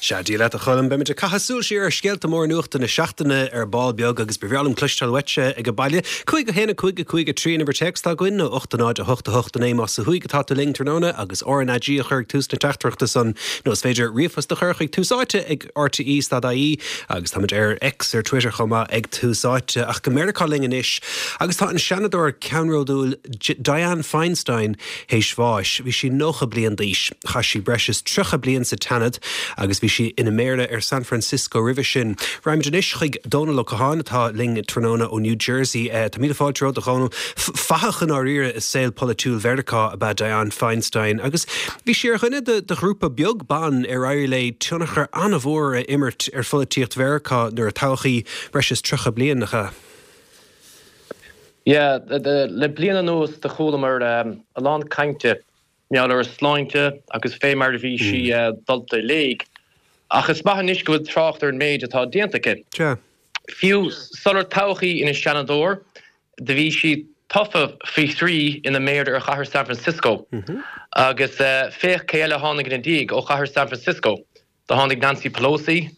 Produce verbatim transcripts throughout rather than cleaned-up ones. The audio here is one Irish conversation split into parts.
Sea, Dia leat a Choilm, beimid ag caitheamh súil siar ar scéalta móra nuachta na seachtaine ar ball beag agus ba bhreá liom cloisteáil uaitse ag an baile. Cúig a haon a cúig a cúig a trí an uimhir téacs atá againn nó ocht a náid a hocht a hocht a naoi más ó thuaidh atá tú linn tráthnóna agus RnaG a chur ag tús na teachtaireachta san nó is féidir ríomhphost a chur chuig Tús Áite ag RTE dot ie agus táimid ar X ar Twitter chomh maith ag Tús Áite ach go Meiriceá linn anois agus tá an seanadóir ceannródúil Dianne Feinstein théis bháis. Bhí sí nócha bliain d'aois. Chaith sí breis is tríocha bliain sa tSeanad agus bhí sí ina méara ar San Francisco roimhe sin. Raghaimid anois chuig Dónal Ó Catháin atá linn tráthnóna ó New Jersey. Tá míle fáilte romhat a Dhónaill. Fathach i ndáiríre i saol polaitiúil Mheiriceá ab ea Dianne Feinstein agus bhí sí ar dhuine de ghrúpa beag ban ar éirigh léi tionchar an-mhór a imirt ar pholaitíocht Mheiriceá nuair a toghadh í breis is tríocha bliain nach ea? Yeah, le bliain anuas do chualamar a lán cainte mar gheall ar a sláinte agus fé mar a bhí sí dulta i léig. Ach is maith anois go bhfuil trácht ar an méid atá déanta aici. Fiú sular toghadh í ina seanadóir, do bhí sí tofa faoi thrí ina méara ar chathair San Francisco. Agus féach cé eile a tháinig ina diaidh ó chathair San Francisco. Do tháinig Nancy Pelosi,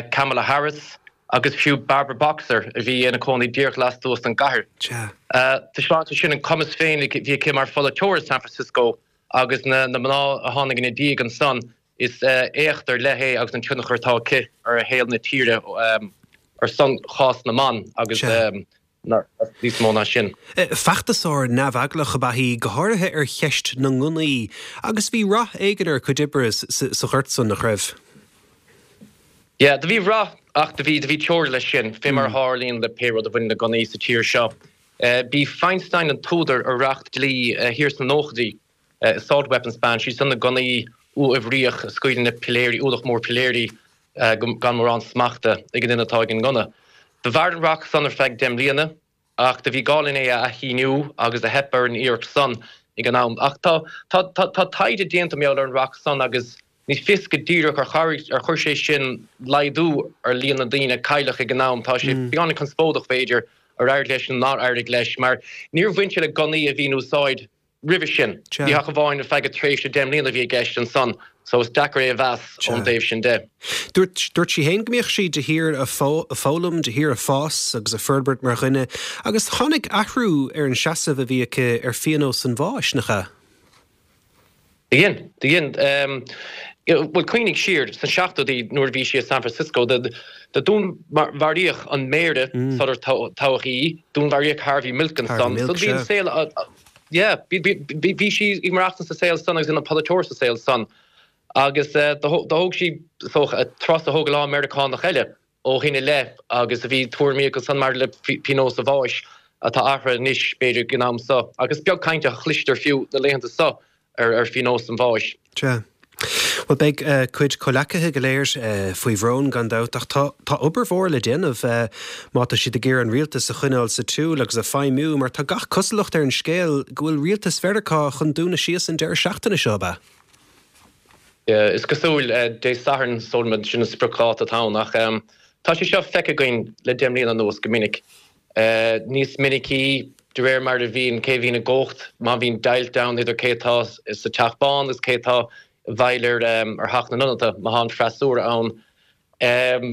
Kamala Harris agus fiú Barbara Boxer a bhí ina cónaí díreach lastuas den gcathair. Taispeánann sé sin an cumas féin a bhí aici mar pholaiteoir i San Francisco agus na mná a tháinig ina diaidh ansan, is éacht ar leith é agus an tionchar atá aici ar shaol na tíre ar son chás na mban agus níos mó ná sin. Feachtasóir neamheaglach ab ea í, go háirithe ar cheist na ngunnaí, agus bhí rath éigin ar a cuid oibre sa ghort san, nach raibh? Yeah, do bhí rath ach do bhí, do bhí teora leis sin, fé mar a tharlaíonn le pé rud a bhaineann le gunnaí sa tír seo. B'í Feinstein an t-údar ar reacht dlí thiar sna nóchaidí, Assault Weapons Ban, sé san na gunnaí uathoibríoch a scaoileann na piléirí, ualach mór piléirí gan mórán smachta ag an duine atá ag an ngunna. Do mhair an reacht san ar feadh deich mbliana ach do bhí gá linn é a athshíniú agus do theip ar an iarracht san ag an am. Ach tá, tá, tá, tá taighde déanta mar gheall ar an reacht san agus ní fios go díreach ar chabhraigh, ar chuir sé sin laghdú ar líon na ndaoine a cailleadh ag an am. Tá sé beagáinín conspóideach b'fhéidir ar éirigh leis nó nár éirigh leis mar níor bhain sé le gunnaí a bhí in úsáid roimhe sin. Ní hach amháin ar feadh tréimhse deich mbliana a bhí i gceist ansan so is deacair é a mheas ón dtaobh sin de. Dúirt dúirt sí féin go mbíodh sí de shíor ag foghlaim, de shíor ag fás agus ag forbairt mar dhuine agus tháinig athrú ar an seasamh a bhí aici ar phionós an bháis, nach ea? Do dhein, do dhein. Bhuel, cuimhnigh siar, sna seachtóidí nuair a bhí sí i San Francisco, do dúnmharaíodh an méara sular toghadh í, dúnmharaíodh Harvey Milk ansan. So bhí an saol, yeah, bhí sí ag maireachtaint sa saol san agus ina polaiteoir sa saol san. Agus do thóg sí, is dócha, turas a thóg a lán Meiriceánach eile ó shin i leith agus a bhí tuairimí acu san maidir le pionós an bháis atá athraithe anois, b'fhéidir, ag an am so. Agus beag cainte a chloistear fiú na laethanta so ar phionós an bháis. Sea. Bhuel, beidh a cuid comhleacaithe go léir faoi bhrón, gan dabht, ach tá tá obair mhór le déanamh má tá siad ag iarraidh an rialtas a choinneáil sa tsiúl agus ag feidhmiú, mar tá gach cosúlacht ar an scéal go bhfuil rialtas Mheiriceá chun dúnadh síos an deireadh seachtaine seo, ab ea? Is cosúil, Dé Sathairn, sílim, sin an spriocdháta atá ann, ach tá sé seo feicthe againn le deich mbliana anuas go minic. Níos minicí, de réir mar a bhíonn, cé a bhíonn i gcumhacht, má bhíonn deighilt ann idir cé atá sa Teach Bán agus cé atá i bhfeighil ar Theach na nIonadaithe, má tá an freasúra ann.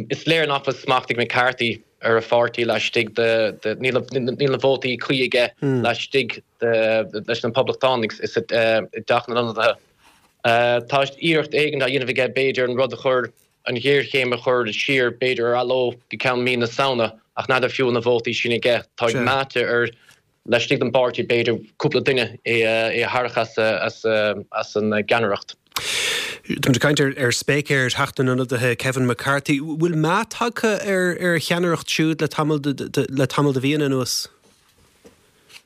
Is léir nach bhfuil smacht ag McCarthy ar a pháirtí laistigh de, níl na vótaí cuí aige laistigh de, leis na Poblachtánaigh i dTeach na nIonadaithe. Tá iarracht éigin á dhéanamh aige b'fhéidir an rud a chur an ghéarchéim a chur siar, b'fhéidir ar athló go ceann mí na Samhna, ach n'fheadar fiú na vótaí sin aige. Tá ag meáite ar laistigh den bpáirtí, b'fhéidir, cúpla duine é a tharrac as as an gceannaireacht. Táimid ag caint ar spéicéir Theach na nIonadaithe, Kevin McCarthy. Bhfuil meath tagtha ar a cheannaireacht siúd le tamall le tamall de mhíonna anuas?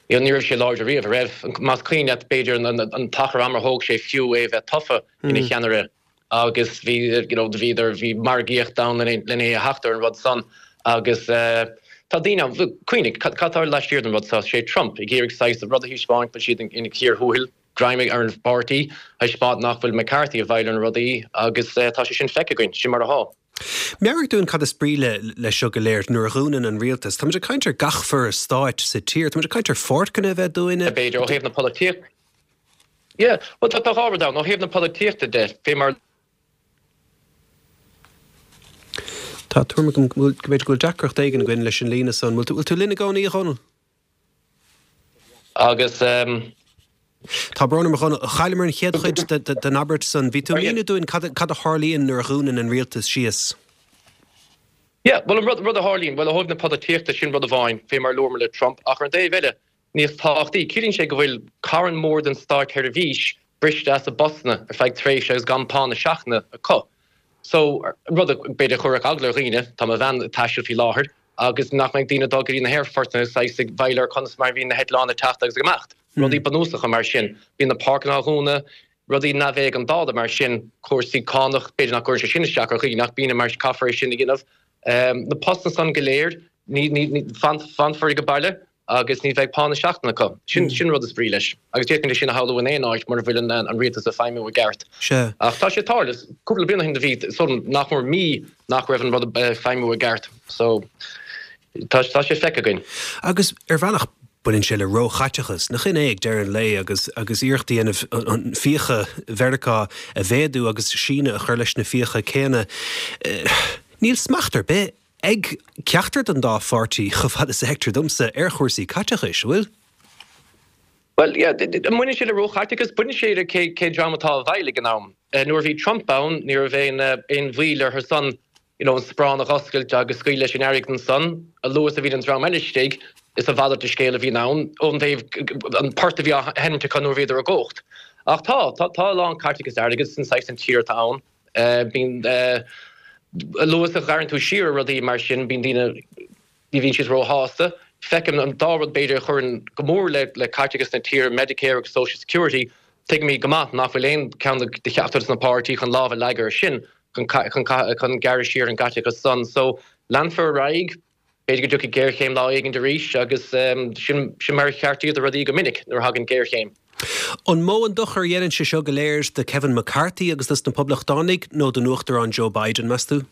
Ní raibh sé láidir riamh, a raibh? Más cuimhin leat, b'fhéidir, an t-achar ama a thóg sé fiú é a bheith tofa ina cheannaire. agus bhí you know bhíodar bhí margaíocht ann len é a theacht ar an rud san agus tá daoine ann cuimhnigh cad atá laistiar den rud seo sé Trump ag iarraidh saghas rud a thaispeáint go bhfuil siad ina chíor thuathail greim ar an bpáirtí thaispeáint nach bhfuil McCarthy i bhfeighil ar na rudaí agus tá sé sin feicthe againn sin mar atá. Meabhraigh dúinn cad is brí le le seo go léir nuair a dhúnann an rialtas. Táimid ag caint ar gach foras stáit sa tír, táimid ag caint ar pháirceanna a bheith dúnta. B'fhéidir ó thaobh na polaitíochta. Yeah, bhuel tá dhá rud ann. Ó thaobh na polaitíochta de, fé mar Tá tuairim agam go b'fhéidir go bhfuil deacracht éigin againn leis an líne san. Bhfuil tú linn i gcónaí, a Dhónaill? Agus um, Tá brón orm a Dhónaill, chailleamar an chéad chuid den abairt san. Bhí tú ag míniú dúinn cad a tharlaíonn nuair a dhúnann an rialtas síos. Yeah, well an rud, rud a tharlaíonn, well ó thaobh na polaitíochta sin rud amháin, fé mar luamar le Trump, ach ar an dtaobh eile, níos tábhachtaí, ciallaíonn sé go bhfuil carn mór den státsheirbhís briste as a bpostanna ar feadh tréimhse agus gan pá na seachtaine acu. So, rud a b'fhéidir a chuirfeadh eagla ar dhaoine, tá mo bhean ag taisteal faoi láthair, agus nach mbeidh daoine ag dul go dtí na haerfortanna saghas ag bail ar conas mar a bhíonn na heitleáin ag teacht agus ag imeacht. Rudaí bunúsacha mar sin. Bíonn na páirceanna á dhúnadh, rudaí neamhéigeandála mar sin, cúrsaí cánach, b'fhéidir nach gcuireann sé sin isteach ar dhaoine ach bíonn mar caithfear é sin a dhéanamh. Na postanna san go léir, ní, ní, ní, fanfar ag baile agus ní bheidh pá na seachtaine acu. Sin, sin rud is brí leis. Agus d'fhéadfainn é sin a shamhlú in aon áit mura bhfuil an, an rialtas ag feidhmiú i gceart. Sea. Ach tá sé ag tarlú. Cúpla bliain ó shin do bhí, so, nach mór mí nach raibh an rud ag feidhmiú i gceart. So, tá, tá sé feicthe againn. Agus ar bhealach baineann sé le róchaiteachas, nach in é ag deireadh an lae agus, agus iarracht a dhéanamh an fiacha Mheiriceá a mhéadú agus síneadh a chur leis na fiacha céanna. Níl smacht ar bith ag ceachtar den dá pháirtí, chomh fada is a fheictear domsa, ar chúrsaí caiteachais, an bhfuil? Bhuel, yeah, an mbaineann sé le róchaiteachas? Baineann sé le cé, cén dream atá i bhfeighil ag an am. Nuair a bhí Trump ann, ní raibh aon, aon mhoill orthu san, you know, an sparán a dh'oscailt agus scaoileadh leis an airgead ansan. A luaithe is a bhíonn an dream eile istigh, is a mhalairt de scéal a bhíonn ann, ón dtaobh, an port a bhí á sheinnt acu nuair a bhíodar i gcumhacht. Ach tá, tá, tá a lán caiteachas airgid san saghas an tír atá ann. Bíonn, a luaithe is a ghearrann tú siar ar rudaí mar sin, bíonn daoine, ní bhíonn siad róshásta. Feicim an dá rud b'fhéidir a chuireann go mór le le caiteachas na tíre, Medicare agus Social Security, tuigimid go maith nach bhfuil aon cheann de cheachtar de na páirtí chun lámh a leagadh air sin chun chun chun gearradh siar ar an gcaiteachas san. So, leanfar ar aghaidh. B'fhéidir go dtiocfaidh géarchéim lá éigin arís agus sin sin mar a cheartaítear rudaí go minic nuair a thagann géarchéim. An mó an dochar a dhéanann sé seo go léir do Kevin McCarthy agus dos na Poblachtánaigh nó don Uachtarán Joe Biden, meas tú?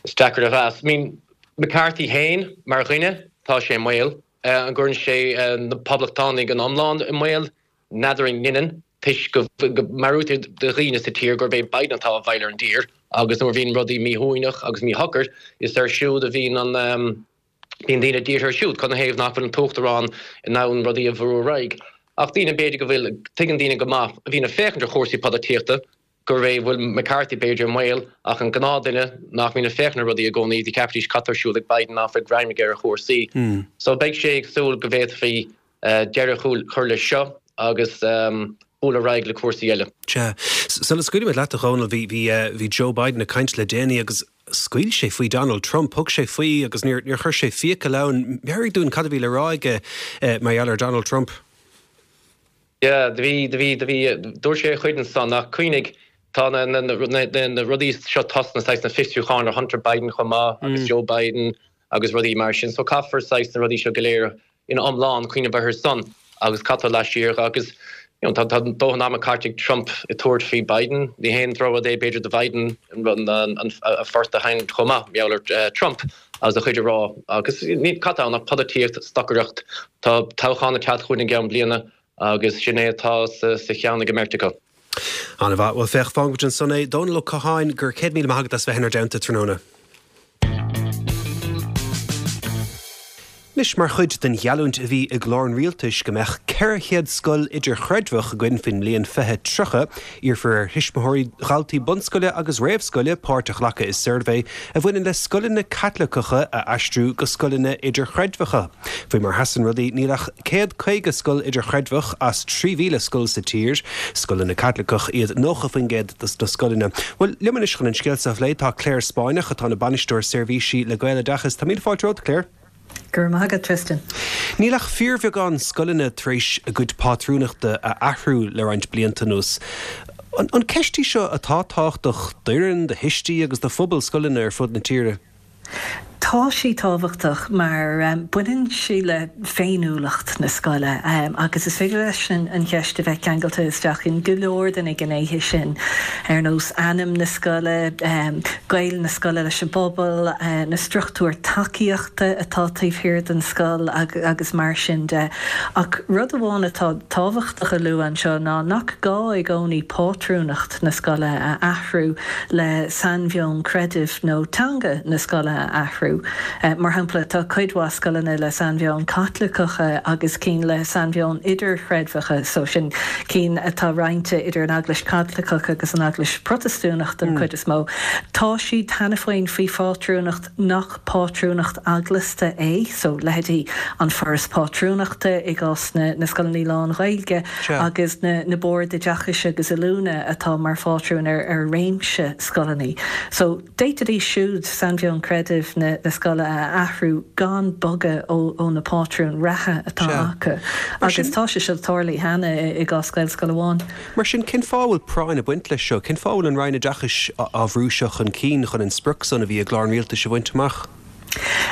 Is deacair a mheas. I mean, McCarthy féin mar dhuine, tá sé i mbaol. An gcuireann sé na Poblachtánaigh in iomlán i mbaol? N'fheadar an ndeineann, toisc go meabhraítear do dhaoine sa tír gurb é Biden atá i bhfeighil ar an dtír agus nuair a bhíonn rudaí míshuaimhneach agus míshocair, is air siúd a bhíonn an, bíonn daoine dírithe air siúd, cad 'na thaobh nach bhfuil an tUachtarán in ann rudaí a bhrú ar aghaidh. Ach daoine, b'fhéidir go bhfuil, tuigeann daoine go maith, a bhíonn ag féachaint ar chúrsaí polaitíochta, gurb é bhfuil McCarthy b'fhéidir i mbaol, ach an gnáthdhuine nach mbíonn ag féachaint ar rudaí i gcónaí, do cheapfaidís cad tá ar siúl ag Biden nach bhfuil greim aige ar chúrsaí. So beidh sé ag súil go bhféadfaí deireadh a chur leis seo agus bualadh ar aghaidh le cúrsaí eile. Sea. Sula scaoilfimid leat, a Dhónaill, bhí, bhí, bhí Joe Biden ag caint le déanaí agus scaoil sé faoi Donald Trump, thug sé faoi agus níor, níor chuir sé fiacail ann. Meabhraigh dúinn cad a bhí le rá aige mar gheall ar Donald Trump. Yeah, do bhí, do bhí, do bhí, dúirt sé a chuid ansan ach cuimhnigh, tá na, na, na, na, na rudaí seo tosnaithe, saghas na fiosrúcháin ar Hunter Biden chomh maith agus Joe Biden agus rudaí mar sin. So caithfear saghas na rudaí seo go léir ina iomlán cuimhneamh orthu san agus cad tá laistiar agus you know, tá, tá dóthain ama caite ag Trump ag tabhairt faoi Biden. Ní haon drochrud é b'fhéidir do Biden an, an, an, a phort a sheinnt chomh maith, mar gheall ar Trump agus a chuid a rá agus ní, cad tá ann ach polaitíocht, stocaireacht. Tá toghchán ag teacht chugainn i gceann bliana agus sin é atá sa, sa cheann ag an mbeirt acu. An-mhaith. Bhuel, féach, fágfaimid ansan é. Dónal Ó Catháin, go raibh céad míle maith agat as bheith inár dteannta tráthnóna. Anois, mar chuid den gheallúint a bhí i gclár an rialtais go mbeadh ceithre chéad scoil idirchreidmheach againn faoin mbliain fiche tríocha, iarrfar ar thuismitheoirí dhaltaí bunscoile agus réamhscoile páirt a ghlacadh i suirbhé a bhaineann le scoileanna Caitliceacha a aistriú go scoileanna idirchreidmheacha. Faoi mar a sheasann rudaí, níl ach céad caoga scoil idirchreidmheach as trí mhíle scoil sa tír. Scoileanna Caitliceach iad nócha faoin gcéad de na scoileanna. Bhuel, liom anois chun an scéal seo a phlé tá Claire Spáinneach, atá ina bainisteoir seirbhísí le Gaeloideachas. Tá míle fáilte romhat, Claire. Go raibh maith agat, Tristan. Níl ach fíorbheagán scoileanna tar éis a gcuid pátrúnachta a athrú le roinnt blianta anuas. An ceist í seo atá tábhachtach d'fhoireann, do thuistí agus do phobal scoileanna ar fud na tíre? Tá. Tá sí tábhachtach mar um, baineann sí le féiniúlacht na scoile um, agus is féidir leis an, an cheist a bheith ceangailte isteach in go leor de na gnéithe sin ar nós ainm na scoile, um, gaol na scoile leis an bpobal, uh, na struchtúir tacaíochta atá taobh thiar den scoil ag, agus mar sin de. Ach rud amháin atá tábhachtach a lua anseo ná nach gá i gcónaí pátrúnacht na scoile a athrú le sainmheon creidimh nó teanga na scoile a athrú. Uh, mar shampla tá cuid mhaith scoileanna le sainmheon Caitliceacha agus cinn le sainmheon idirchreidmheacha so sin cinn atá roinnte idir an Eaglais Chaitliceach agus an Eaglais Protastúnach den mm. chuid is mó. Tá siad cheana féin faoi phátrúnacht nach pátrúnacht eaglasta é, so leithéidí an Foras Pátrúnachta i gcás na, na scoileanna lán-Ghaeilge agus na, na boird oideachais agus oiliúna atá mar phátrún ar, ar réimse scoileanna. So d'fhéadfaidís siúd sainmheon creidimh na, na scoile a athrú gan bogadh ó, ó na pátrúin reatha atá acu. Agus tá sé seo tarlaithe cheana i gcás Gaelscoil amháin. Mar sin cén fáth a bhfuil práinn ag baint leis seo, cén fáth a bhfuil an Roinn Oideachais á bhrú seo chun cinn chun an sprioc san a bhí i gclár an rialtais a bhaint amach.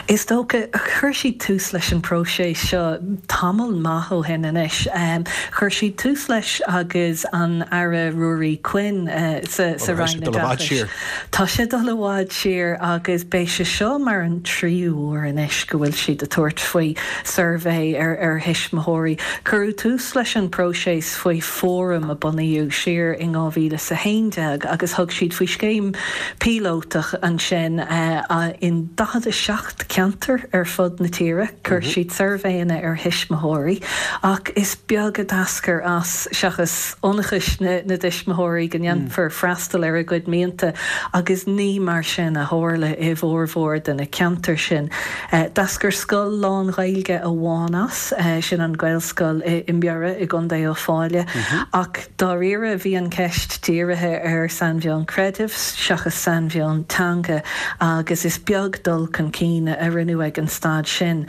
Is dócha chuir siad tús leis an próiseas seo tamall maith ó shin anois. Um, chuir siad tús leis agus an Aire Ruairí Quinn uh, sa, sa Roinn Oideachais. Tá sé dul i bhfad siar agus beidh sé seo mar an tríú huair anois go bhfuil siad ag tabhairt faoi suirbhé ar ar thuismitheoirí. Cuireadh tús leis an próiseas faoi fóram a bunaíodh siar in dhá mhíle is a haon déag agus thug siad faoi scéim píolótach ansin uh, uh, in daichead a seacht ceantar ar fud na tíre, chuir mm -hmm. siad suirbhéanna ar thuismitheoirí, ach is beag a d'eascair as seachas ionchais na, na dtuismitheoirí go ndéanfar mm. freastal ar a gcuid mianta agus ní mar sin a tharla i bhformhór de na ceantair sin. Uh, D'eascair scoil lán-Ghaeilge amháin as uh, sin an Ghaelscoil i, i mBiorra i gContae Uíbh Fhailí mm -hmm. ach dáiríre bhí an ceist dírithe ar sainmheon creidimh seachas sainmheon teanga agus is beag dul chun cinn a rinneadh ag an staid sin.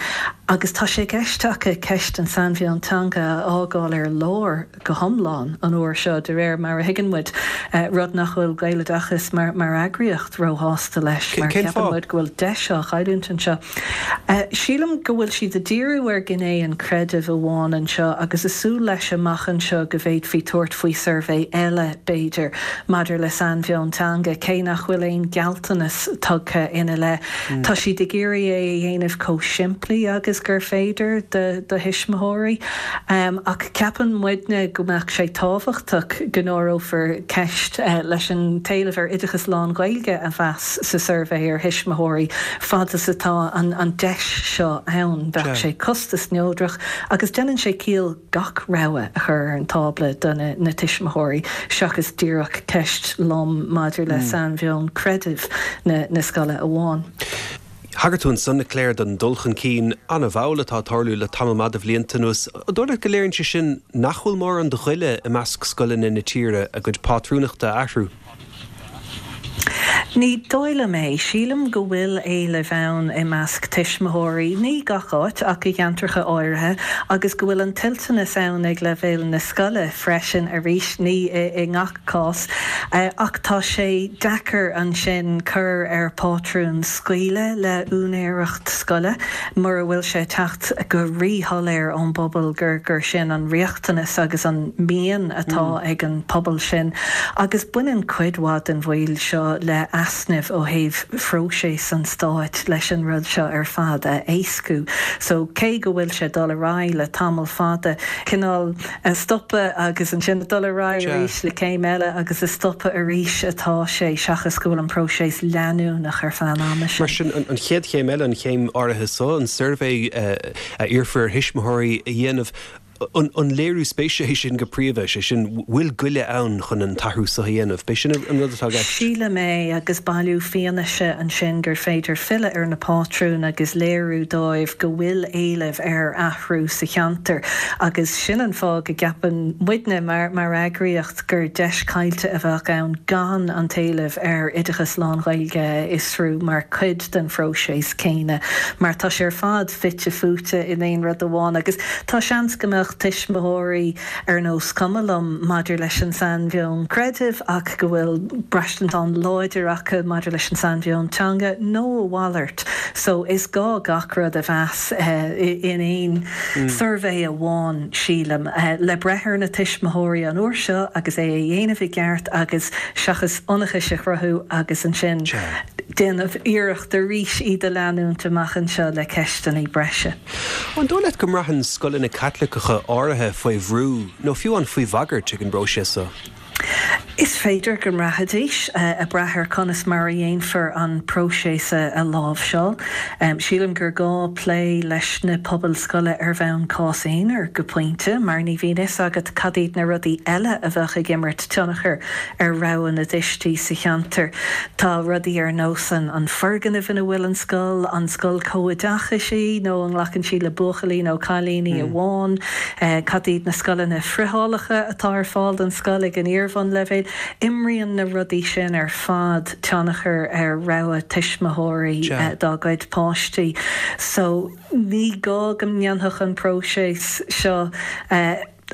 Agus tá sé i gceist acu ceist an sainmheon teanga a fhágáil ar lár go hiomlán an uair seo de réir mar a thuigeann muid uh, rud nach bhfuil Gaeloideachas mar, mar eagraíocht róshásta leis mar ceapann muid go bhfuil deis á chailliúint anseo. Uh, sílim go bhfuil siad ag díriú ar ghné an chreidimh amháin anseo agus ag súil leis amach anseo go bhféadfaí tabhairt faoi suirbhé eile b'fhéidir maidir le sainmheon teanga cé nach bhfuil aon ghealltanas tugtha ina leith. Mm. Tá siad ag iarraidh é a dhéanamh chomh simplí agus gur féidir do do thuismitheoirí. Um, ach ceapann muidne go mbeadh sé tábhachtach go n-áireofar ceist uh, leis an t-éileamh ar oideachas lán-Ghaeilge a mheas sa suirbhé ar thuismitheoirí fad is atá an, an deis seo ann bheadh sé costas neodrach agus déanann sé ciall gach rogha a chur ar an tábla do na, na tuismitheoirí seachas díreach ceist lom maidir le mm. sainmheon creidimh na, na scoile amháin. Thagair tú ansan a Claire don dul chun cinn an-mhall atá ag tarlú le tamall maith de bhlianta anuas. An dóigh leat go léiríonn sé sin nach bhfuil mórán de ghoile i measc scoileanna na tíre a gcuid pátrúnachta a athrú. Ní dóigh liom é sílim go bhfuil éileamh ann i measc tuismitheoirí ní gach áit ach i gceantracha áirithe agus go bhfuil an toilteanas ann ag leibhéal na scoile freisin arís ní i, i ngach cás uh, ach tá sé deacair ansin cur ar pátrún scaoileadh le úinéireacht scoile mura bhfuil sé ag teacht go ríshoiléir ón bpobal gur gur sin an riachtanas agus an mian atá mm. ag an pobal sin agus baineann cuid mhaith den mhoill seo le easnamh ó thaobh phróiseas an stáit leis an rud seo ar fad a éascú. So cé go bhfuil sé dul ar aghaidh le tamall fada cineál a stopadh agus ansin dul ar aghaidh arís le céim eile agus a stopadh arís atá sé seachas go bhfuil an próiseas leanúnach ar feadh an ama sin. Mar sin an chéad chéim eile an chéim áirithe so an suirbhé uh, a iarrfar thuismitheoirí a dhéanamh an, an léiriú spéise é sin go príomha sé sin bhfuil goile ann chun an t-athrú seo a dhéanamh, B'é sin an rud atá i gceist. Sílim é agus bailiú fianaise ansin gur féidir filleadh ar na pátrúin agus léiriú dóibh go bhfuil éileamh ar athrú sa cheantar agus sin an fáth go gceapann muidne mar mar eagraíocht gur deis caillte a bheadh ann gan an t-éileamh ar oideachas lán-Ghaeilge a fhiosrú mar chuid den phróiseas céanna mar tá sé ar fad fite fuaite in aon rud amháin agus tá seans go mbeadh mbeadh tuismitheoirí ar nós cuma liom maidir leis an sainmheon creidimh ach go bhfuil braistint an-láidir acu maidir leis an sainmheon teanga nó a mhalairt. So is gá gach rud a mheas in aon suirbhé amháin, sílim, le breith ar na tuismitheoirí an uair seo agus é a dhéanamh i gceart agus seachas ionchais a chruthú agus ansin déanamh iarracht arís iad a leanúint amach anseo le ceisteanna breise. An dóigh leat go mbraitheann scoileanna Caitliceacha áirithe faoi bhrú nó fiú an faoi bhagairt ag an bpróiseas seo? Is féidir go mbraithfidís, ag brath ar conas mar a dhéanfar an próiseas a láimhseáil. Sílim gur gá plé leis na pobail scoile ar bhonn cás aonair go pointe, mar ní bhíonn fhios agat cad iad na rudaí eile a bheadh ag imirt tionchar ar rogha na dtuistí sa cheantar. Tá rudaí ar nós an foirgneamh ina bhfuil an scoil, an scoil comhoideachais í nó an nglacann sí le buachaillí nó cailíní amháin, cad iad na scoileanna friothálacha atá ar fáil don scoil ag an iar-bhunleibhéal. Imríonn na rudaí sin ar fad tionchar ar rogha tuismitheoirí dá gcuid páistí. So ní gá go ndéanfadh an próiseas seo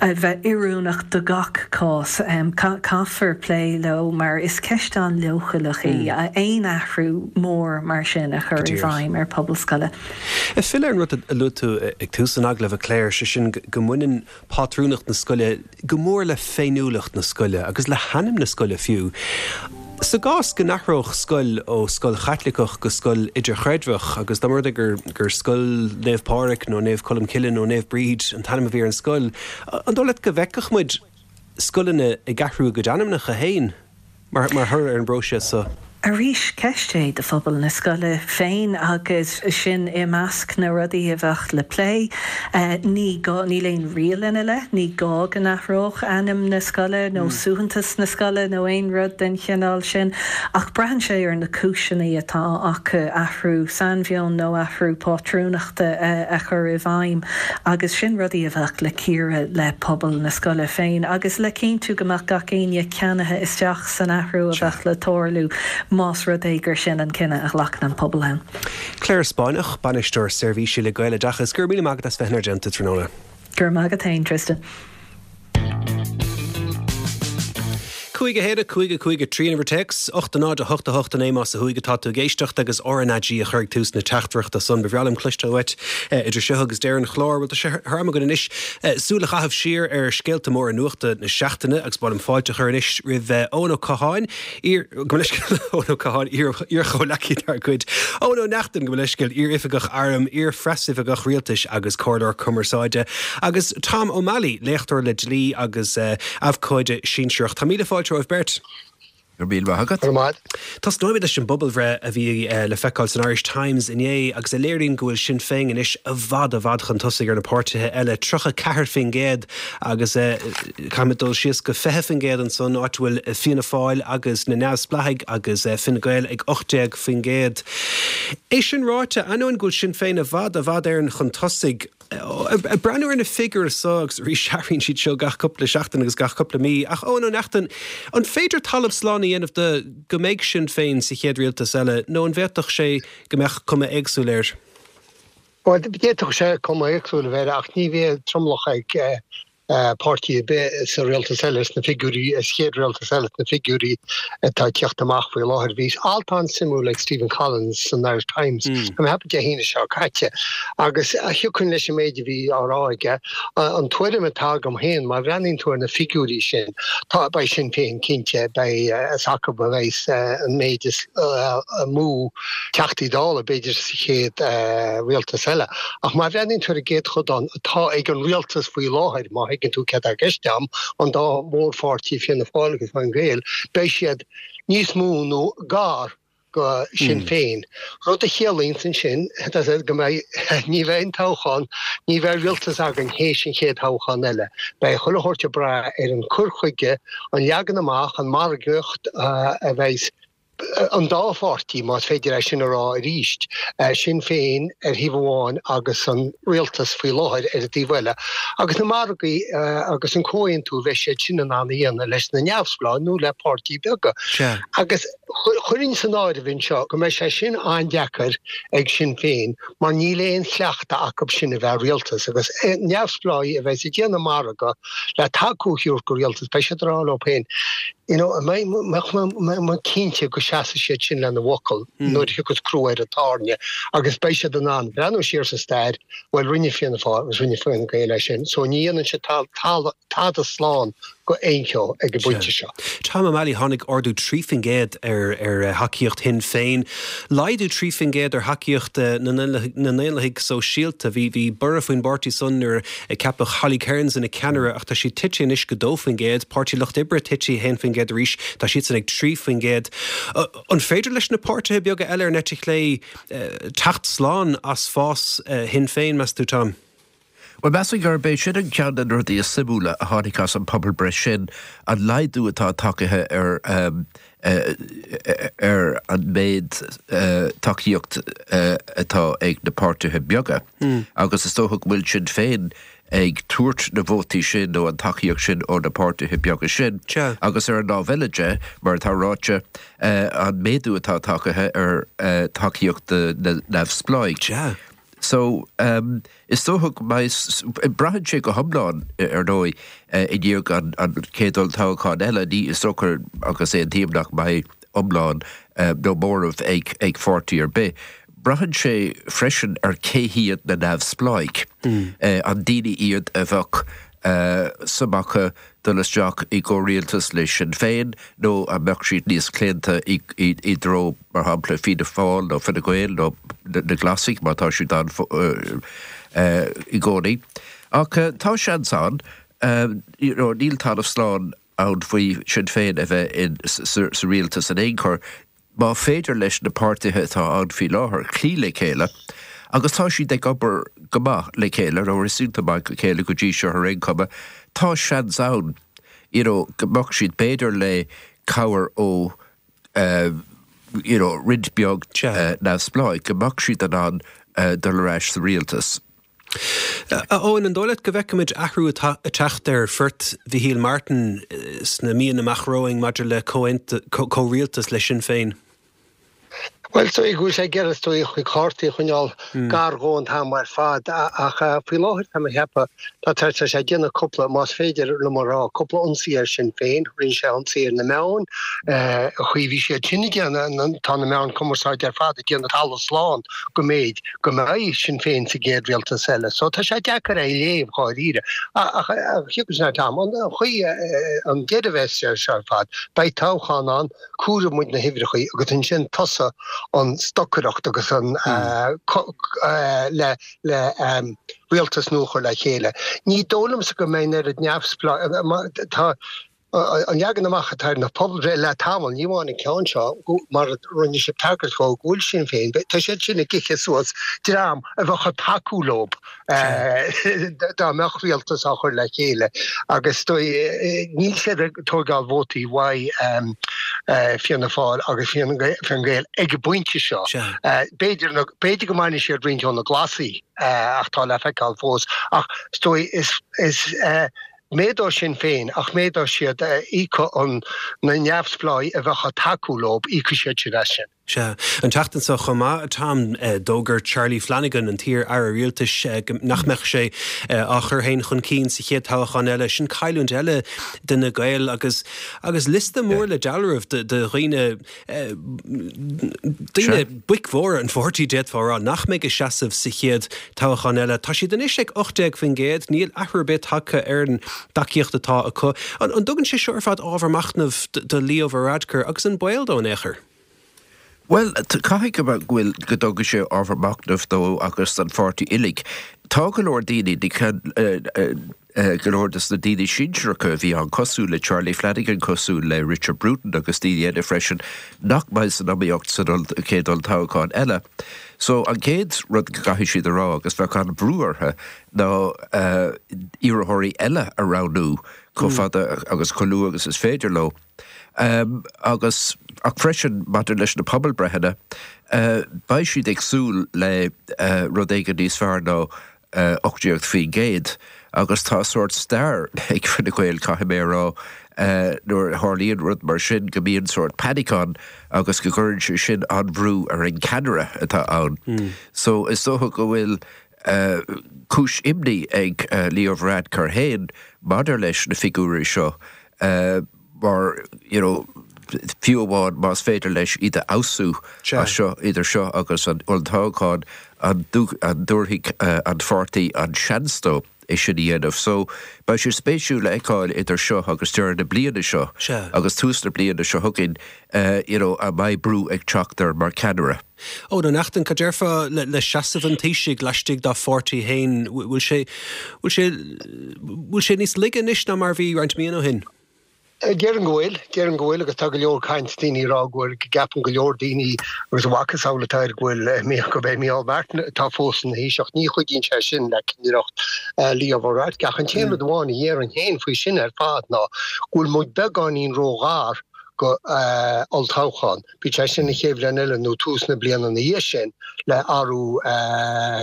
a bheith oiriúnach do gach cás. Caithfear plé leo mar is ceist an-leochaileach í aon athrú mór mar sin a chur i bhfeidhm ar phobal scoile. Ag filleadh ar an rud a luaigh tú ag tús an agallaimh, a Claire, sé sin go mbaineann pátrúnacht na scoile go mór le féiniúlacht na scoile agus le hainm na scoile fiú. Sa gcás go n-athródh scoil ó scoil Chaitliceach go scoil idirchreidmheach agus dá mba rud é gur gur Scoil Naomh Pádraig nó Naomh Colm Cille nó Naomh Bríd an t-ainm a bhí ar an scoil, an dóigh leat go bhfeicfeadh muid scoileanna ag athrú a gcuid ainmneacha féin mar mar thoradh ar an bpróiseas seo? Arís, ceist é do phobal na scoile féin agus sin i measc na rudaí a bheadh le plé. Ní gá, níl aon riail ina leith, ní gá go n-athródh ainm na scoile nó suaitheantas na scoile nó aon rud den chineál sin, ach braitheann sé ar na cúiseanna atá acu athrú sainmheoin nó athrú pátrúnachta a chur i bhfeidhm agus sin rudaí a bheadh le cíoradh le pobal na scoile féin agus le cinntiú go mbeadh gach éinne ceannaithe isteach san athrú a bheadh le tarlú. más rud é gur sin an cinneadh a ghlacann an pobal ann. Claire Spáinneach, Bainisteoir Seirbhísí le Gaeloideachas, go raibh míle maith agat as bheith inár dteannta tráthnóna. Go raibh maith agat féin, Tristan. Cúig a haon, a cúig, a cúig, a trí an uimhir téacs, ocht a náid, a hocht, a hocht, a naoi más ó thuaidh atá tú ag éisteacht agus RnaG a chur ag tús na teachtaireachta san. Ba bhreá liom cloisteáil uait idir seo agus deireadh an chláir. Bhuel, tá sé thar am againn anois súil a chaitheamh siar ar scéalta móra nuachta na seachtaine agus ba mhaith liom fáilte a chur anois roimh Eoin Ó Catháin, iar, gabh mo leithscéal, Eoin Ó Catháin, iar, iar-chomhleacaí dár gcuid, Eoin Ó Neachtain, gabh mo leithscéal, iar-oifigeach airm, iar-phreasoifigeach rialtais agus comhairleoir cumarsáide, agus Tom O'Malley, léachtóir le dlí agus abhcóide sinsearach. Tá míle fáilte romhaibh beirt. Go raibh míle maith agat. Tosnóimid leis an bpobalbhreith a bhí le feiceáil san Irish Times inné agus a léiríonn go bhfuil Sinn Féin anois i bhfad i bhfad chun tosaigh ar na páirtithe eile, tríocha ceathair faoin gcéad agus caithfimid dul síos go fiche faoin gcéad ansan, áit a bhfuil Fianna Fáil agus na Neamhspleáigh agus Fine Gael ag ocht déag faoin gcéad. É sin ráite, ainneoin go bhfuil Sinn Féin i bhfad i bhfad Éireann chun tosaigh, Ag breathnú ar na figiúirí seo, agus arís athraíonn siad seo gach cúpla seachtain agus gach cúpla mí, ach Eoin Ó Neachtain, an féidir talamh slán a dhéanamh de go mbeidh Sinn Féin sa chéad rialtas eile nó an bhféadfadh sé go mbeadh cuma éagsúil air? Bhuel, d'fhéadfadh sé cuma éagsúil a bheith air ach ní bheidh tromlach ag páirtí ar bith sa rialtas eile sna figiúirí, sa chéad rialtas eile sna figiúirí atá ag teacht amach faoi láthair. Bhí alt an-suimiúil ag Stephen Collins san Irish Times, tá mé ag ceapadh Dé hAoine seo caite, agus thiocfainn leis an méid a bhí á rá aige. An tuairim atá agam féin, má bhreathnaíonn tú ar na figiúirí sin, tá, beidh Sinn Féin cinnte, beidh, is acu a bheidh an méid is mó Teachtaí Dála, b'fhéidir, sa chéad rialtas eile. Ach má bhreathnaíonn tú ar an gcéatadán atá ag an rialtas faoi láthair, má thuigeann tú céard atá i gceist agam, an dá mhórpháirtí, Fianna Fáil agus Fine Gael, beidh siad níos mó nó gar go Sinn Féin. Rud a chiallaíonns ansin go mbeidh, ní bheidh aon toghchán, ní bheidh rialtas againn théis an chéad thoghchán eile. Beidh chuile shórt ag brath ar an cur chuige, an leagan amach, an margaíocht a bheidh an dá pháirtí, más féidir é sin a rá arís, Sinn Féin ar thaobh amháin agus an rialtas faoi láthair ar an taobh eile, agus na margaí agus an comhaontú a bheidh siad sin in ann a dhéanamh leis na neamhspleáigh nó le páirtí beaga. Agus chuirfinn san áireamh anseo go mbeidh sé sin an-deacair ag Sinn Féin mar níl aon chleachtadh acu sin a bheith i rialtas agus neamhspleáigh a bheas ag déanamh margadh le tacú a thabhairt do rialtas, beidh siad ag rá leo féin, you know, an mbeidh mé cinnte go seasfaidh siad sin lena bhfocal nuair a thiocfas crú ar an tairne agus beidh siad in ann breathnú siar sa stair, bhuel, rinne Fianna Fáil agus rinne Fine Gael é sin, so ní dhéanann siad tada slán go aon cheo ag an bpointe seo. Tom O'Malley, Tháinig ardú trí faoin gcéad ar thacaíocht Shinn Féin, laghdú trí faoin gcéad ar thacaíocht na nDaonlathaigh Sóisialta. Bhí bhí borradh faoin bpáirtí san nuair a ceapadh Holly Cairns ina ceannaire ach tá siad tite anois go dó faoin gcéad. Páirtí Lucht Oibre tite haon faoin gcéad arís, tá siadsan ag trí faoin gcéad. An féidir leis na páirtithe beaga eile ar an eite chlé teacht slán as fás Shinn Féin, meas tú, Tom? Bhuel, measaim gurb é sin an ceann de na rudaí is suimiúla a tháinig as an pobalbhreith sin, an laghdú atá tagtha ar ar an méid tacaíocht atá ag na páirtithe beaga agus is dócha go bhfuil Sinn Féin ag tabhairt na vótaí sin nó an tacaíocht sin ó na páirtithe beaga sin. Agus ar an lámh eile de, mar atá ráite, an méadú atá tagtha ar tacaíocht na neamhspleáigh. So, is dócha go mbeidh, braitheann sé go hiomlán, ar ndóigh, i ndiaidh an chéad olltoghchán eile, ní, is dócha agus aontaím nach mbeidh iomlán nó móramh ag ag pháirtí ar bith. Braitheann sé freisin ar cé hiad na neamhspleáigh. An daoine iad a bheadh suim acu dul isteach i gcomhrialtas le Sinn Féin nó an mbeadh siad níos claonta i dtreo, mar shampla, Fianna Fáil nó Fine Gael nó na Glasaigh, mar tá siad ann i gcónaí. Ach tá seans ann, you know, níl talamh slán ann faoi Sinn Féin a bheith sa rialtas in aon chor. Má féidir leis na páirtithe atá ann faoi láthair cloí le chéile, agus tá siad ag obair go maith le chéile, nó réasúnta maith le chéile go dtí seo ar aon chuma, tá seans ann you know go mbeadh siad, b'fhéidir le cabhair ó you know roinnt beag neamhspleáigh, go mbeadh siad in ann dul ar ais sa rialtas. A Eoin, an dóigh leat go bhfeicfimid athrú ag teacht ar phort Mhichíl Martin sna míonna amach romhainn maidir le comhrialtas le Sinn Féin? Bhuel, is dóigh go bhfuil sé ag iarraidh is dóigh a chuid cártaí a choinneáil gar dhó an t-am ar fad ach faoi láthair tá mé ag ceapadh tá tá sé ag déanamh cúpla, más féidir liom a rá, cúpla ionsaí ar Sinn Féin. Rinne sé ionsaí ar na meáin, an chaoi a bhí siad sin ag déanamh, tá na meáin cumarsáide ar fad ag déanamh talamh slán go mb'fhéidir go mbeidh Sinn Féin sa gcéad rialtas eile. So tá sé deacair é a léamh dháiríre. Ach thiocfadh sé Tom, an chaoi an deireadh a bheas air seo ar fad, beidh toghchán ann, comhaireoidh muid na huimhreacha agus ansin tosóidh an stocaireacht agus an le le rialtas nua a chur le chéile. Ní dóigh liomsa go mbeidh an oiread neamhspleách tá an leagan amach atá ar na pobalbhreith le tamall, ní amháin an ceann seo, mar a rinne sibh tagairt dhó, go bhfuil Sinn Féin, tá siad sin ag ithe suas dream a bheadh ag tacú leo dá mbeadh rialtas á chur le chéile agus níl siad ag tóigeáil vótaí uaidh Fianna Fáil agus Fine Gael ag an bpointe seo. B'fhéidir b'fhéidir go mbainfidh siad roinnt ó na Glasaigh ach tá le feiceáil fós. Ach is dóigh is is méadóidh Sinn Féin ach méadóidh siad íocfaidh an na neamhspleáigh a bheadh ag tacú leo, íocfaidh siad sin as sin. Sea. An tseachtain seo chomh maith, Tom, d'fhógair Charlie Flanagan, an t-iar-aire rialtais, nach mbeadh sé á chur féin chun cinn sa chéad toghchán eile. Sin cailliúint eile d'Fhine Gael agus agus liosta mór le dealramh de dhaoine, daoine, boic mhóra an pháirtí, d'fhéadfá a rá, nach mbeidh ag seasamh sa chéad toghchán eile. Tá siad anois ag ocht déag faoin gcéad, níl athrú ar bith tagtha ar an dtacaíocht atá acu. An dtugann sé seo ar fad ábhar machnaimh do Leo Varadkar agus an baol dó in aon chor? Bhuel, caithfidh go bhfuil, go dtugann sé ábhar machnaimh dó agus don pháirtí uilig. Tá go leor daoine, go leor de na daoine sinsearacha a bhí ann, cosúil le Charlie Flanagan, cosúil le Richard Bruton agus daoine eile freisin, nach mbeidh san iomaíocht san chéad olltoghchán eile. So, an chéad rud go gcaithfidh siad a rá, agus bheadh an-bhrú orthu, ná iarrthóirí eile a roghnú chomh fada agus chomh luath agus is féidir leo. Agus ach freisin maidir leis na pobalbreitheanna, beidh siad ag súil le rud éigin níos fearr ná ocht déag faoin gcéad agus tá sórt stair ag Fine Gael, caithfidh mé a rá, nuair a tharlaíonn rud mar sin go mbíonn sórt panic ann agus go gcuireann sé sin an-bhrú ar an gceannaire atá ann. So is dócha go bhfuil cúis imní ag Leo Varadkar féin maidir leis na figiúirí seo mar, you know, fiú amháin más féidir leis iad a fheabhsú as seo, idir seo agus an olltoghchán, an dtabharfaidh an pháirtí an seans dó é sin a dhéanamh. So, beidh sé spéisiúil a fheiceáil idir seo agus deireadh na bliana seo agus tús na bliana seo chugainn, you know, an mbeidh brú ag teacht air mar cheannaire. Eoin Ó Neachtain, cad déarfá le seasamh an Taoisigh laistigh dá pháirtí féin? Bhfuil sé, bhfuil sé, bhfuil sé níos laige anois ná mar a bhí roinnt míonna ó shin? Déarfainn go bhfuil, déarfainn go bhfuil agus tá go leor caint, daoine ag rá go bhfuil, go gceapann go leor daoine agus a mhacasamhail atá air go bhfuil, gurb é Micheál Martin atá fós ina Thaoiseach. Ní chuidíonn sé sin le cinnireacht Leo Varadkar. Ach an t-aon rud amháin a dhéarfainn féin faoi sin ar fad ná go bhfuil muid beagáinín róghar go olltoghchán. Bíodh sé sin an chéad bhliain eile nó tús na bliana ina dhiaidh sin le athrú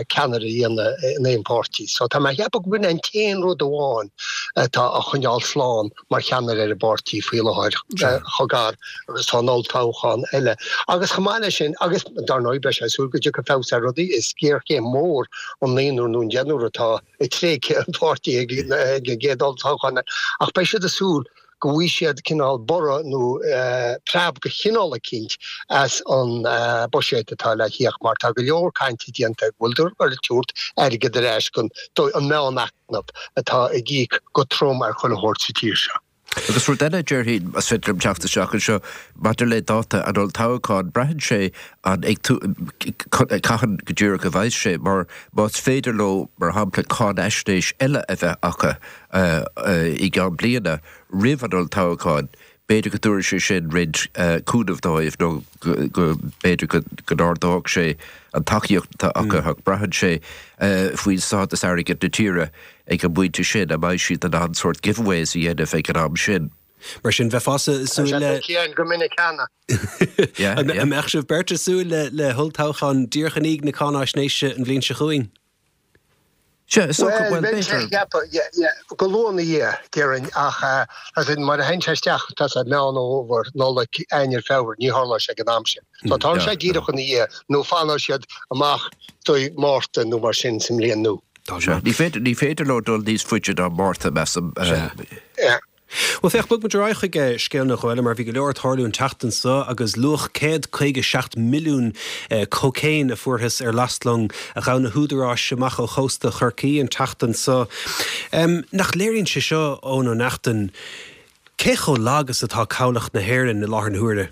ceannaire a dhéanamh in aon pháirtí. So tá mé a cheapadh go b'in an t-aon rud amháin atá á choinneáil slán mar cheannaire ar an bpáirtí faoi láthair, chomh gar agus tá an olltoghchán eile. Agus chomh maith leis sin, agus dar ndóigh beidh sé ag súil go dtiocfaidh feabhas ar rudaí, is géarchéim mhór an naonúr nó an deichniúr atá ag tréigthe an pháirtí ag an gcéad olltoghchán ach beidh siad ag súil go bhfaighidh siad cineál borradh nó preab de chineál eicínt as an buiséad atá le thíocht mar tá go leor cainte déanta go bhfuil ag tabhairt airgead ar ais don an meánaicme atá ag íoc go trom ar chuile shórt sa tír seo. Agus rud eile, déarfainn, más féidir liom teacht isteach anseo, maidir le dáta an olltoghcháin, braitheann sé an ag cathain go díreach a bheas sé, mar más féidir leo, mar shampla, cáinaisnéis eile a bheith acu i gceann bliana, roimh an olltoghchán, b'fhéidir go dtabharfaidh sé sin roinnt cúnaimh dóibh nó go b'fhéidir go n-ardódh sé an tacaíocht atá acu ach braitheann sé faoin stádas airgid na tíre ag an bpointe sin, an mbeidh siad in ann sórt giveaways a dhéanamh ag an am sin. Mar sin, bheifeása ag súil le. Go minic cheana. An mbeadh sibh beirt ag súil le holltoghchán díreach i ndiaidh na cáinaisnéise an bhliain seo chugainn? Sea, is dócha, Bhuel, bhuel, bheinn sé b'fhéidir. ag ceapadh, yeah, yeah, go luath ina dhiaidh, déarfainn, ach as in, mar a théann sé isteach, tá sé Meán Fhómhair, Nollaig, Eanáir, Feabhra, ní tharlóidh sé ag an am sin. So tarlóidh sé Yeah, díreach ina dhiaidh, nó fanfaidh siad amach dtí Márta nó mar sin sa mbliain nua. Tá Sea, sé. ní féidir, ní féidir leo dul níos faide ná Márta, measaim. Sea. Yeah. Bhuel, féach, bog muid ar aghaidh chuig scéal na Gaeilge mar bhí go leor ag tarlú an tseachtain seo agus luach céad caoga seacht milliún cócaon a fuarthas ar lastlong a ghabh na húdaráis amach ó chósta Chorcaí an tseachtain seo. Nach léiríonn sé seo, Eoin Ó Neachtain, cé chomh lag is atá cabhlach na hÉireann i láthair na huaire?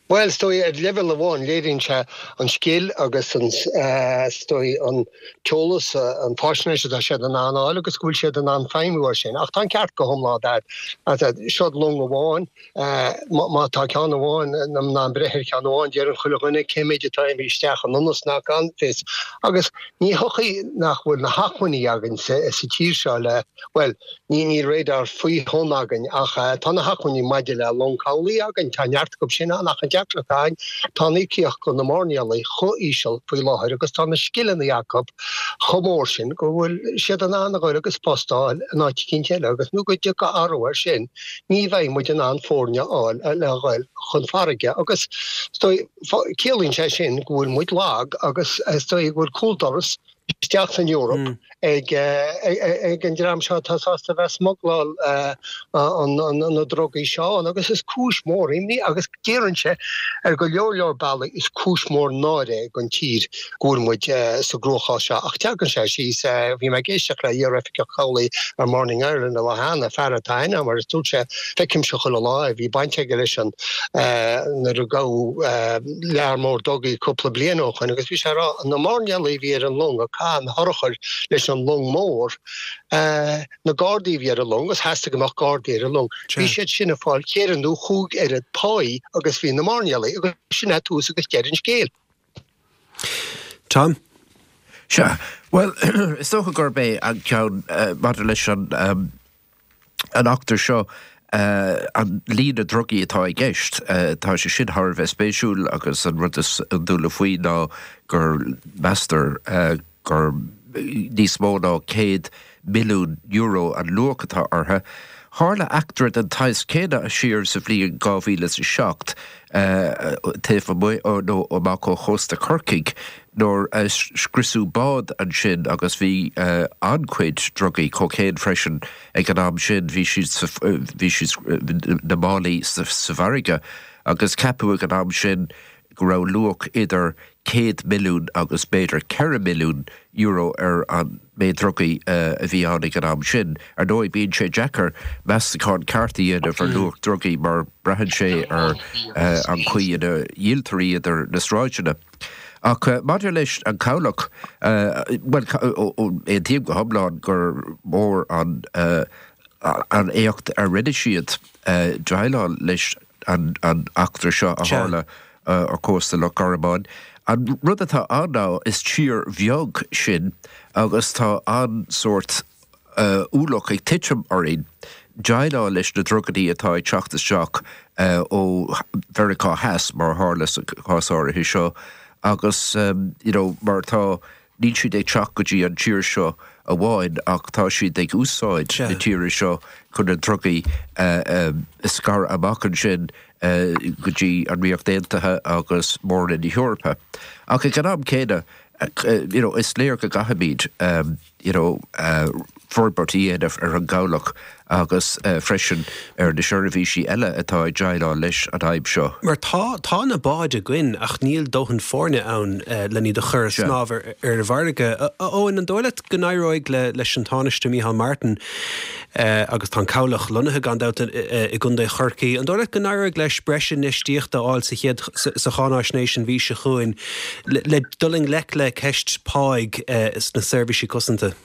Bhuel, is dóigh, ar leibhéal amháin, léiríonn sé an scil agus an, is dóigh, an t-eolas, an fáisnéis atá siad in ann a fháil agus go bhfuil siad in ann feidhmiú air sin. Ach tá an ceart go hiomlán agat. Seod long amháin, má tá ceann amháin in ann breith ar cheann amháin, deireann chuile dhuine cé méid atá imithe isteach anonn is nach gan fios. Agus ní thiocfaidh nach bhfuil na hacmhainní againn sa tír seo le, bhuel, Ní níl radar faoi thonn againn ach tá na hacmhainní maidir le long cabhlaigh againn, tá neart acu sin ann ach an deacracht atá againn, tá an íocaíocht do na mairnéalaigh chomh íseal faoi láthair agus tá na scileanna acu chomh mór sin go bhfuil siad in ann a ghoil agus post a fháil in áit eicínt eile agus nó go dtiocfaidh athrú air sin ní bheidh muid in ann foirne a fháil le ghoil chun farraige agus is dóigh ciallaíonn sé sin go bhfuil muid lag agus is dóigh go bhfuil cúldoras isteach san Eoraip ag an dream seo atá sásta a bheith ag smugláil na drugaí seo ann agus is cúis mhór imní agus déarfainnse ar go leor leor bealaí is cúis mhór náire don tír go bhfuil muid sa gcruachás seo ach teagann sé síos, bhí mé ag éisteacht le iar-oifigeach cabhlaigh ar Morning Ireland an lá cheana, fear atá aithne agam agus dúirt sé feicimse chuile lá é, bhí baint aige leis an nuair a gabhadh lear mór drugaí cúpla bliain ó shoin agus bhí sé ag rá na mairnéalaigh a bhí ar an long a chaith an hurchar leis an long mór, na gardaí a bhí ar an long, agus theastaigh go mbeadh gardaí ar an long, bhí siad sin ag fáil ceithre nó chúig oiread páí agus bhí na mairnéalaigh, agus sin é tús agus deireadh an scéil. Tom? Sea, bhuel, is dócha gurb é an ceann maidir leis an an eachtra seo, an líon drugaí atá i gceist, tá sé sin thar a bheith spéisiúil agus an rud is iondúla faoi ná gur meastar gur níos mó ná céad milliún euro an luach atá orthu. Tharla eachtra den tsaghas céanna siar sa bhliain dhá mhíle is a seacht taobh amuigh nó amach ó chósta Chorcaigh nuair a scriosadh bád ansin agus bhí an-chuid drugaí, cocaine freisin ag an am sin, bhí siad sa, bhí siad na málaí sa bhfarraige agus ceapadh ag an am sin go raibh luach idir céad milliún agus b'fhéidir ceithre milliún euro ar an méid drugaí a bhí ann ag an am sin. Ar ndóigh, bíonn sé deacair meastachán ceart a dhéanamh ar luach drugaí mar braitheann sé ar an chaoi ina dhíoltar iad ar na sráideanna. Ach maidir leis an chabhlach, bhuel, aontaím go hiomlán gur mór an an éacht a rinne siad déileáil leis an eachtra seo a tharla ar chósta Loch Garman. An rud atá ann ná is tír bheag sinn agus tá an sórt ualach ag titim orainn déileáil leis na drugaí atá ag teacht isteach ó Mheiriceá Theas mar a tharla sa chás áirithe seo agus you know mar tá níl siad ag teacht go dtí an tír seo amháin ach tá siad ag úsáid na tíre seo chun na drugaí a scaradh amach ansin go dtí an Ríocht Aontaithe agus Mór-Roinn na hEorpa. Ach ag an am céanna, you know, is léir go gcaithfimid you know, forbairt a dhéanamh ar an gcabhlach agus freisin ar na seirbhísí eile atá ag déileáil leis an fhadhb seo. Mar tá, tá na báid againn ach níl dóthain foirne ann len iad a chur ag snámh ar an bhfarraige. A Eoin, an dóigh leat go n-éireoidh leis an Tánaiste Micheál Martin, agus tá an cabhlach lonnaithe gan dabht i gContae Chorcaí, an dóigh leat go n-éireoidh leis breis infheistíochta a fháil sa chéad, sa cháináisnéis an mhí seo chugainn le dul i ngleic le ceist páigh sna seirbhísí cosanta?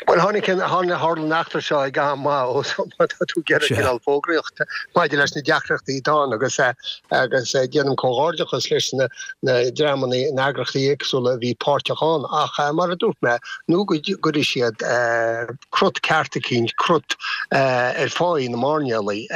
Bhuel, tháinig an, tharla an eachtra seo ag am maith ó má tá tú ag iarraidh cineál fógraíocht maidir leis na deacrachtaí atá ann agus agus déanaim comhghairdeachas leis na na dreamanna na eagraíochtaí éagsúla a bhí páirteach ann ach mar a dúirt mé nó go gcuirfidh siad crut ceart eicínt, crut ar pháí na mairnéalaigh,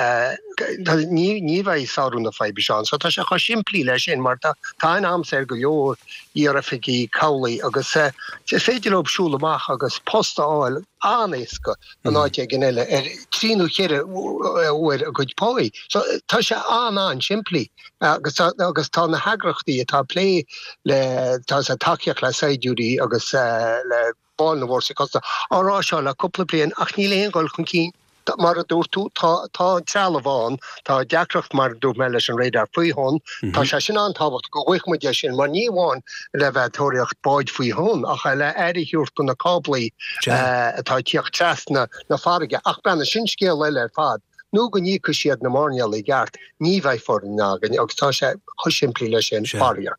ní ní bheidh sárú na faidhbe seo ann. So tá sé chomh simplí leis sin mar tá tá an am saor go leor iaroifigigh cabhlaigh agus is féidir leo siúl amach agus post a fháil an-éasca in áit éigin eile ar trí nó ceithre uair a gcuid páí. So tá sé an-an-simplí agus agus tá na heagraíochtaí atá ag plé le tá sa tacaíocht le saighdiúirí agus le baill na bhfórsaí cosanta á rá seo le cúpla bliain ach níl aon dhul chun cinn. Mar a dúirt tú, tá tá an trealamh ann, tá deacracht mar a dúirt mé leis an radar faoi thonn, tá sé sin an-tábhachtach go bhfaighidh muid é sin mar ní amháin le bheith ag tóraíocht báid faoi thonn ach le aire a thabhairt do na cáblaí atá ag tíocht trasna na farraige. Ach breathnaigh, sin scéal eile ar fad. Nó go n-íocfaidh siad na mairnéalaigh i gceart, ní bheidh foireann againn agus tá sé chomh simplí leis sin, faraor.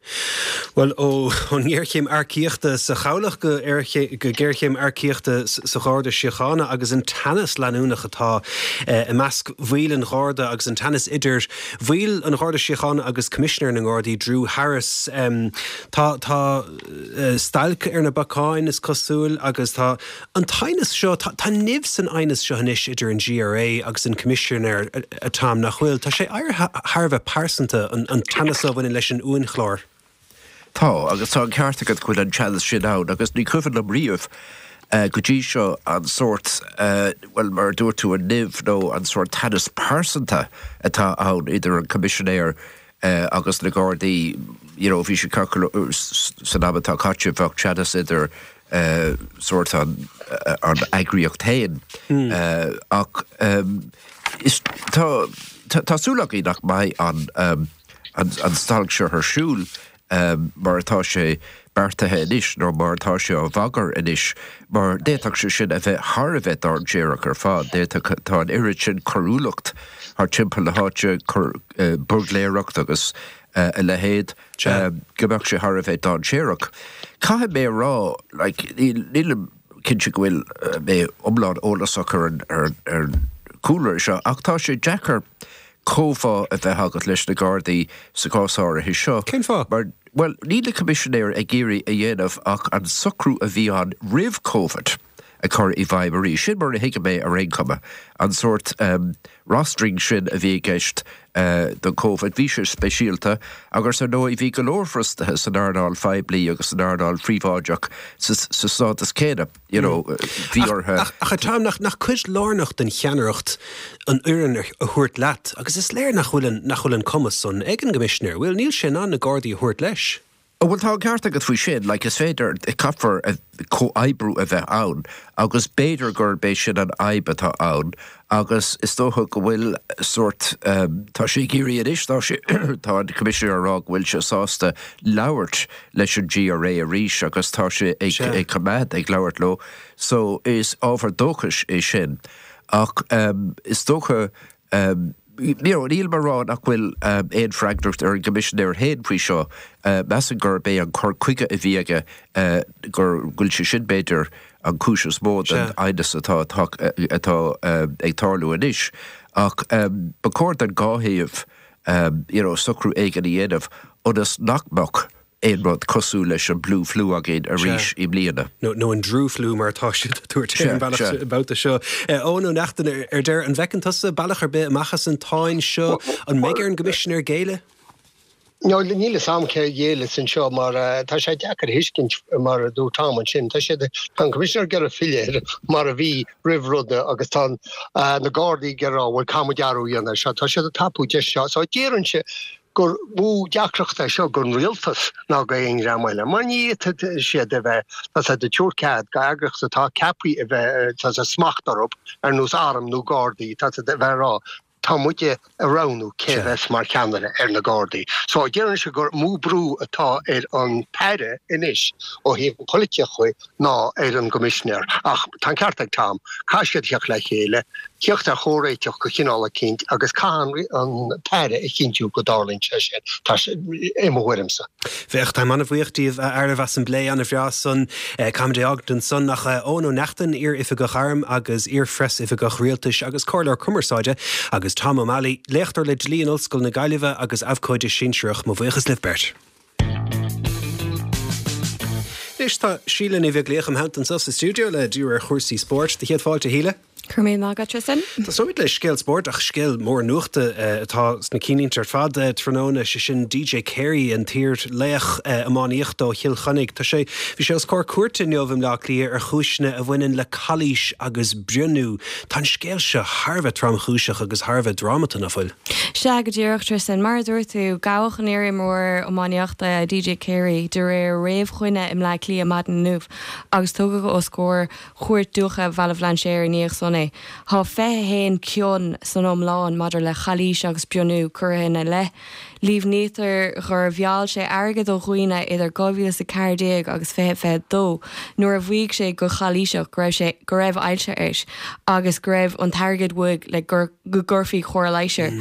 Bhuel, ón ngéarchéim earcaíochta sa chabhlach go géarchéim earcaíochta sa Gharda Síochána agus an teannas leanúnach atá i measc bhaill an Gharda agus an teannas idir bhaill an Gharda Síochána agus Coimisinéir na nGardaí, Drew Harris. Tá tá stailc ar na bacáin, is cosúil, agus tá an t-aighneas seo, tá nimh san aighneas seo anois idir an GRA agus an Coimisinéir, a Tom, nach bhfuil? Tá sé éirithe thar a bheith pearsanta, an teannas a bhaineann leis an uainchlár. Tá, agus tá an ceart agat go bhfuil an teannas sin ann, agus ní cuimhin liom riamh go dtí seo an sórt, bhuel, mar a dúirt tú, an nimh nó an sórt teannas pearsanta atá ann idir an Coimisinéir agus na Gardaí. You know, bhí sé ceart go leor, san am atá caite, bheadh teannas idir sórt an an eagraíocht féin ach is tá tá súil againn nach mbeidh an an stailc seo ar siúl mar atá sé beartaithe anois nó mar atá sé á bhagairt anois mar d'fhéadfadh sé sin a bheith thar a bheith dainséarach ar fad. D'fhéadfadh tá an oiread sin coiriúlacht thar timpeall na háite, buirgléireacht agus a leithéid, go mbeadh sé thar a bheith dainséarach. Caithfidh mé a rá, like, nílim cinnte go bhfuil mé iomlán eolasach ar an ar an chúlra seo, ach tá sé deacair comhbhá a bheith agat leis na Gardaí sa chás áirithe seo. Cén fáth? Mar, bhuel, níl an Coimisinéir ag iarraidh a dhéanamh ach an socrú a bhí ann roimh Covid. a chur i bhfeidhm arís. Sin mar a thuigim é ar aon chuma. An sórt um, rostering sin a bhí i gceist uh, don Covid, bhí sé speisialta agus ar ndóigh bhí go leor fostaithe san earnáil phoiblí agus san earnáil phríobháideach sa sa stádas céanna, you know, bhí orthu. Ach ach Tom nach nach cuid lárnach den cheannaireacht an fhoireann a thabhairt leat, agus is léir nach bhfuil an nach bhfuil an cumas san ag an gCoimisinéir, bhfuil níl sé in ann na Gardaí a thabhairt leis. Bhuel tá ceart agat faoi sin, like, is féidir caithfear comhoibriú a bheith ann, agus b'fhéidir gurb é sin an fhadhb atá ann, agus is dócha go bhfuil sórt um, tá sé ag iarraidh anois tá sé tá an Coimisinéir á rá go bhfuil sé sásta labhairt leis an GRA arís agus tá sé ag, ag coimeád ag labhairt leo, so is ábhar dóchais é sin. Ach um, is dócha um, you know, níl mé ag rá nach bhfuil um, aon freagracht ar an gCoimisinéir féin faoi seo uh, measaim gurb é an cur chuige a bhí aige uh, gur bhfuil sé sin b'fhéidir an chúis is mó den aighneas atá atá uh, ag tarlú anois ach um, ba chóir don dá thaobh um, you know, socrú éigin a dhéanamh ionas nach mbeadh aon rud cosúil leis an Blue Flu againn arís i mbliana. nó nó an Drew Flu mar atá siad ag tabhairt an bealach babhta seo. Eoin Ó Neachtain ar deireadh an bhfeiceann tusa bealach ar bith amach as an tsáinn seo an mbeidh ar an gCoimisinéir géilleadh? No, níl a fhios agam cé ghéilleas anseo mar tá sé deacair a thuiscint mar a dúirt Tom ansin. Tá sé tá an Coimisinéir ag iarraidh filleadh mar a bhí roimh ruda agus tá na Gardaí ag rá bhfuil caithfidh muid athrú a dhéanamh seo. Tá siad ag tapú deis seo. So deireann sé gur mó deacracht é seo don rialtas ná go aon dream eile. Mar ní fhéadfaidh siad a bheith tá sé de tabhairt cead go eagraíocht atá ceaptha a bheith tá sé smacht orthu ar nós arm nó Gardaí tá sé de bheith rá tá muide ag roghnú cé bheas mar cheannaire ar na Gardaí. So deireann sé gur mó brú atá ar an tAire anois ó thaobh an polaitíochta ná ar an gCoimisinéir. Ach tá an ceart ag Tom, caithfidh siad teacht le chéile, teacht ar chomhréiteach go cineál eicínt agus caithfidh an tAire a chinntiú go dtarlaíonn sé sin. Tá sé i mo thuairimse. Féach táim an-bhuíoch díobh a fhearaibh as an bplé an-bhreá san caithfimid é a fhágaint ansan ach Eoin Ó Neachtain iar-oifigeach airm agus iar-phreasoifigeach rialtais agus comhairleoir cumarsáide agus Tom O'Malley, léachtóir le dlí in Ollscoil na Gaillimhe agus abhcóide sinsearach mo bhuíochas libh beirt. Anois tá Síle Ní Bheaglaoich im theannta anseo sa stiúideo le díriú ar chúrsaí spóirt de chéad fáilte Shíle. Go raibh míle maith agat Tristan. Tosóimid le scéal spóirt ach scéal mór nuachta atá sna cinnlínte ar fad tráthnóna sé sin DJ Carey an t-iar-laoch iománaíochta ó Chill Chainnigh. Tá sé bhí sé os comhair cúirte inniu i mBleá Cliath ar chúiseanna a bhaineann le calaois agus brionnú. Tá an scéal seo thar a bheith tromchúiseach agus thar a bheith drámata nach bhfuil. Sea go díreach Tristan, mar a dúirt tú gabhadh an t-iarimreoir iománaíochta DJ Carey de réir réamhchoinne i mBleá Cliath maidin inniu agus tugadh os comhair Chúirt Dúiche Bhaile Bhlainséir i ndiaidh san é. Tá fiche haon cion san iomlán maidir le calaois agus brionnú curtha ina leith. Líomhnaítear gur mheall sé airgead ó dhaoine idir dhá mhíle is a ceathair déag agus fiche fiche dó nuair a mhaígh sé go calaoiseach go raibh sé go raibh ailse air agus go raibh an t-airgead uaidh le gur go gcuirfí cóir leighis air.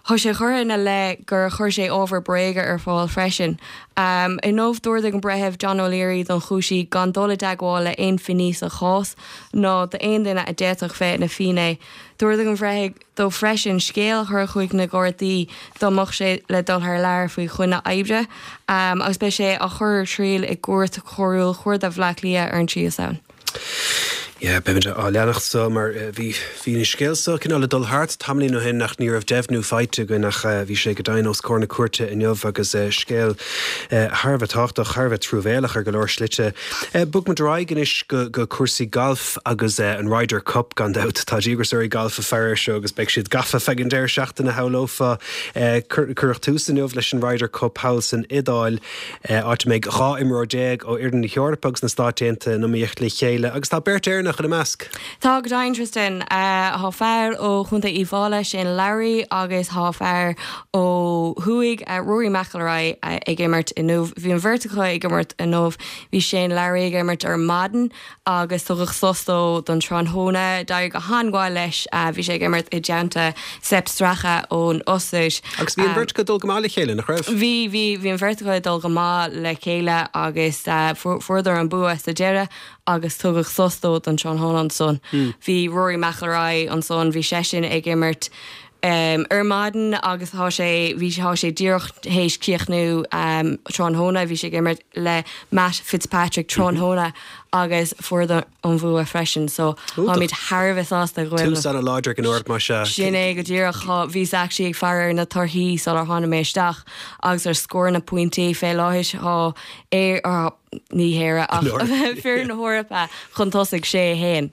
Tá sé curtha ina leith gur chuir sé ábhar bréige ar fáil freisin. Um, Inniu d'ordaigh an breitheamh John O'Leary don chúisí gan dul i dteagmháil le aon fhinné sa chás ná d'aon duine a d'fhéadfadh bheith ina fhinné. D'ordaigh an breitheamh dó freisin scéal a chur chuig na Gardaí dá mbeadh sé le dul thar lear faoi choinne oibre, um, agus beidh sé á chur ar triail i gcúirt choiriúil Chuarda Bhaile Átha Cliath ar an tríú Samhain. Yeah, beimid á leanacht so mar bhí bhí an scéal seo cineál ag dul thart tamaillín ó shin ach ní raibh deimhniú faighte againn ach bhí sé go deimhin os comhair na cúirte inniu agus scéal thar a bheith tábhachtach thar a bheith truamhéalach ar go leor slite. Bogfaimid ar aghaidh anois go, go cúrsaí galf agus an Ryder Cup gan dabht tá díograiseoirí galf ag faire seo agus beidh siad gafa feadh an deireadh seachtaine shamhlófá cuireadh tús inniu leis an Ryder Cup thall san Iodáil áit a mbeidh dhá imreoir déag ó fhoireann na hEorpa agus na Stáit Aontaithe in iomaíocht le chéile agus tá beirt Éireannach ina measc. Tá go deimhin Tristan Tá fear ó Chontae Uíbh Fhailí Shane Lowry agus tá fear ó thuaidh Rory McIlroy ag imirt inniu. Bhí an bheirt acu ag imirt inniu, bhí Shane Lowry ag imirt ar maidin agus tugadh sos dó don tráthnóna d'éirigh go han-mhaith leis bhí sé ag imirt i dteannta Sepp Straka ón Ostair. Agus bhí an bheirt ag dul go maith le chéile nach raibh? Bhí bhí bhí an bheirt ag dul go maith le chéile agus fuaireadar an bua sa deireadh agus tugadh sos dó don tráthnóna ansan. Bhí Rory McIlroy ansan, bhí seisean ag imirt um, ar maidin agus tá sé bhí tá sé díreach théis críochnú um, tráthnóna bhí sé ag imirt le Matt Fitzpatrick tráthnóna agus fuair an bua freisin so táimid thar a bheith sásta go bhfuil. Tús an-láidir ag an Eoraip mar sin. Sin é go díreach bhíos actually ag faire ar na torthaí sular tháinig mé isteach agus ar scór na pointí fé láthair tá é ní hÉire ach foireann na hEorpa chun tosaigh sé a haon.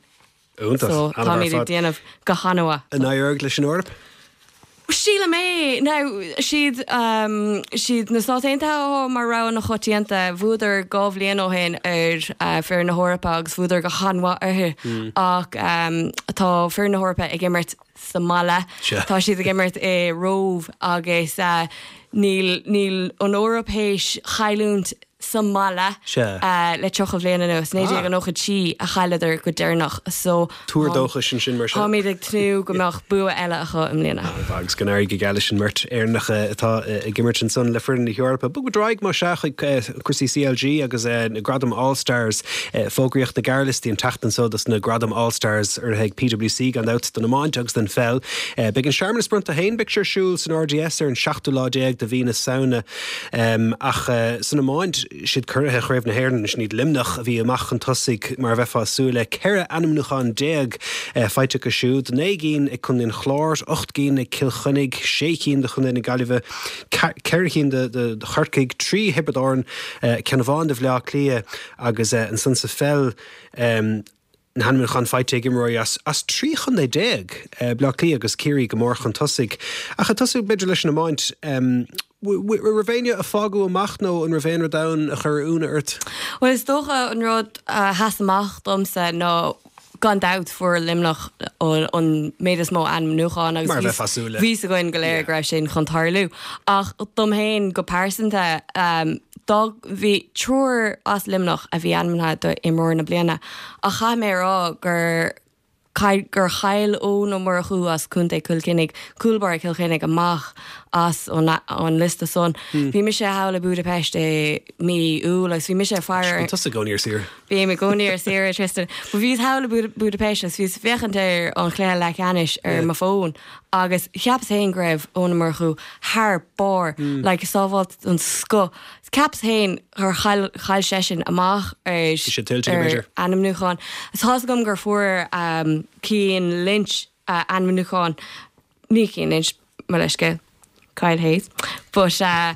So táimid ag déanamh go han-mhaith. An éireoidh leis an Eoraip? Sílim é now siad um, siad na Stáit Aontaithe mar rogha na coitianta bhuadar dhá bhliain ó shin ar uh, foireann na hEorpa agus bhuadar go han-mhaith orthu mm. ach um, tá foireann na hEorpa ag imirt sa mbaile tá siad ag imirt i Róimh agus uh, níl níl an Eoraip théis cailliúint sa mbaile le tríocha bliain anuas naoi déag nócha trí a chailleadar go deireanach so Tuar dóchais ansin mar sin. Táimid ag tnúth go mbeadh bua eile acu i mbliana. Agus go n-éirí go geal leis an mbeirt Éireannach atá ag imirt ansan le foireann na hEorpa. Bogfaimid ar aghaidh mar sin chuig cúrsaí CLG agus na Gradaim All Stars fógraíodh na gearrliostaí an tseachtain seo dos na Gradaim All Stars urraithe ag PwC gan dabht don iomáint agus don pheil. Beidh an searmanas bronnta féin beidh sé ar siúl san RDS ar an seachtú lá déag de mhí na Samhna ach san iomáint siad curaithe Chraobh na hÉireann sin iad Luimneach a bhí amach chun tosaigh mar a bheifeá ag súil le ceithre ainmniúchán déag faighte acu siúd, naoi gcinn ag Contae an Chláir, ocht gcinn ag Cill Chainnigh, sé cinn do Chontae na Gaillimhe, ceithre cinn do Chorcaigh, trí Thiobraid Árann, ceann amháin do Bhaile Átha Cliath agus ansan sa pheil na hainmniúcháin faighte ag imreoirí as as trí chontae déag, Baile Átha Cliath agus Ciarraí go mór chun tosaigh. Ach ag tosú b'fhéidir leis an iomáint, raibh éinne a fágadh amach nó an raibh aon rud ann a chuir ionadh ort? Bhuel is dócha an rud a sheas amach domsa ná gan dabht fuair Luimneach an méid is mó ainmniúchán agus Mar a bheifeá ag súil le. bhí a fhios againn go léir go raibh sin chun tarlú. Ach dom féin go pearsanta dá bhí triúr as Luimneach a bhí ainmnithe do imreoir na bliana ach chaith mé a rá gur gur chaill Eoin Ó Murchú as Contae Chill Chainnigh, cúl báire Chill Chainnigh amach as an liosta san. Bhí mise thall i Budapest i mí Iúil agus bhí mise ag faire Bíonn tusa i gcónaí ar saoire. Bím i gcónaí ar saoire, Tristan. But bhíos thall i Budapest agus bhíos ag féachaint ar an chluiche leathcheannais ar mo fón agus cheapas féin go raibh Eoin Ó Murchú thar barr, like sábháil den scoth. Cheapas féin gur chaill chaill seisean amach ar Bhí sé tuillte, b'fhéidir. ar ainmniúchán. Is tá's agam gur fuair um, Cian Lynch uh, ainmniúchán ní Cian Lynch mo leithscéal Kyle Hayes but uh,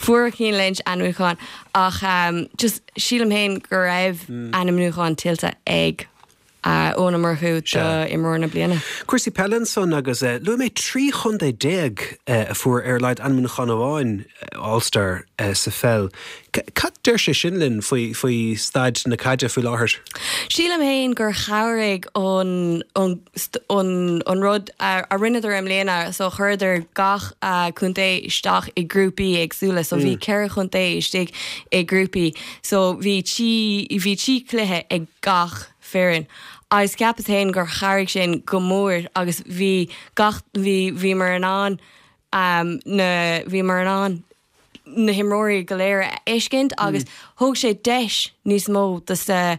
fuair Cian Lynch ainmniúchán ach um, just sílim féin go raibh mm. ainmniúchán tuillte ag uh, Eoin Ó Murchú do imreoir na bliana. Cúrsaí peile ansan agus uh, luaigh mé trí chontae déag uh, a fuair ar a laghad ainmniúchán amháin All-Star uh, sa pheil. Cad deir sé sin linn faoi faoi staid na caide faoi láthair? Sílim féin gur chabhraigh an an an an rud a, a rinneadar i mbliana so chuireadar gach uh, contae isteach i grúpaí éagsúla, so bhí mm. ceithre chontae istigh i grúpaí, so bhí trí bhí trí chluiche ag gach foireann. Agus ceapas féin gur chabhraigh sin go mór agus bhí gach bhí bhíomar in ann um, na bhíomar in ann na himreoirí go léir a fheiscint agus mm. thug sé deis níos mó dos na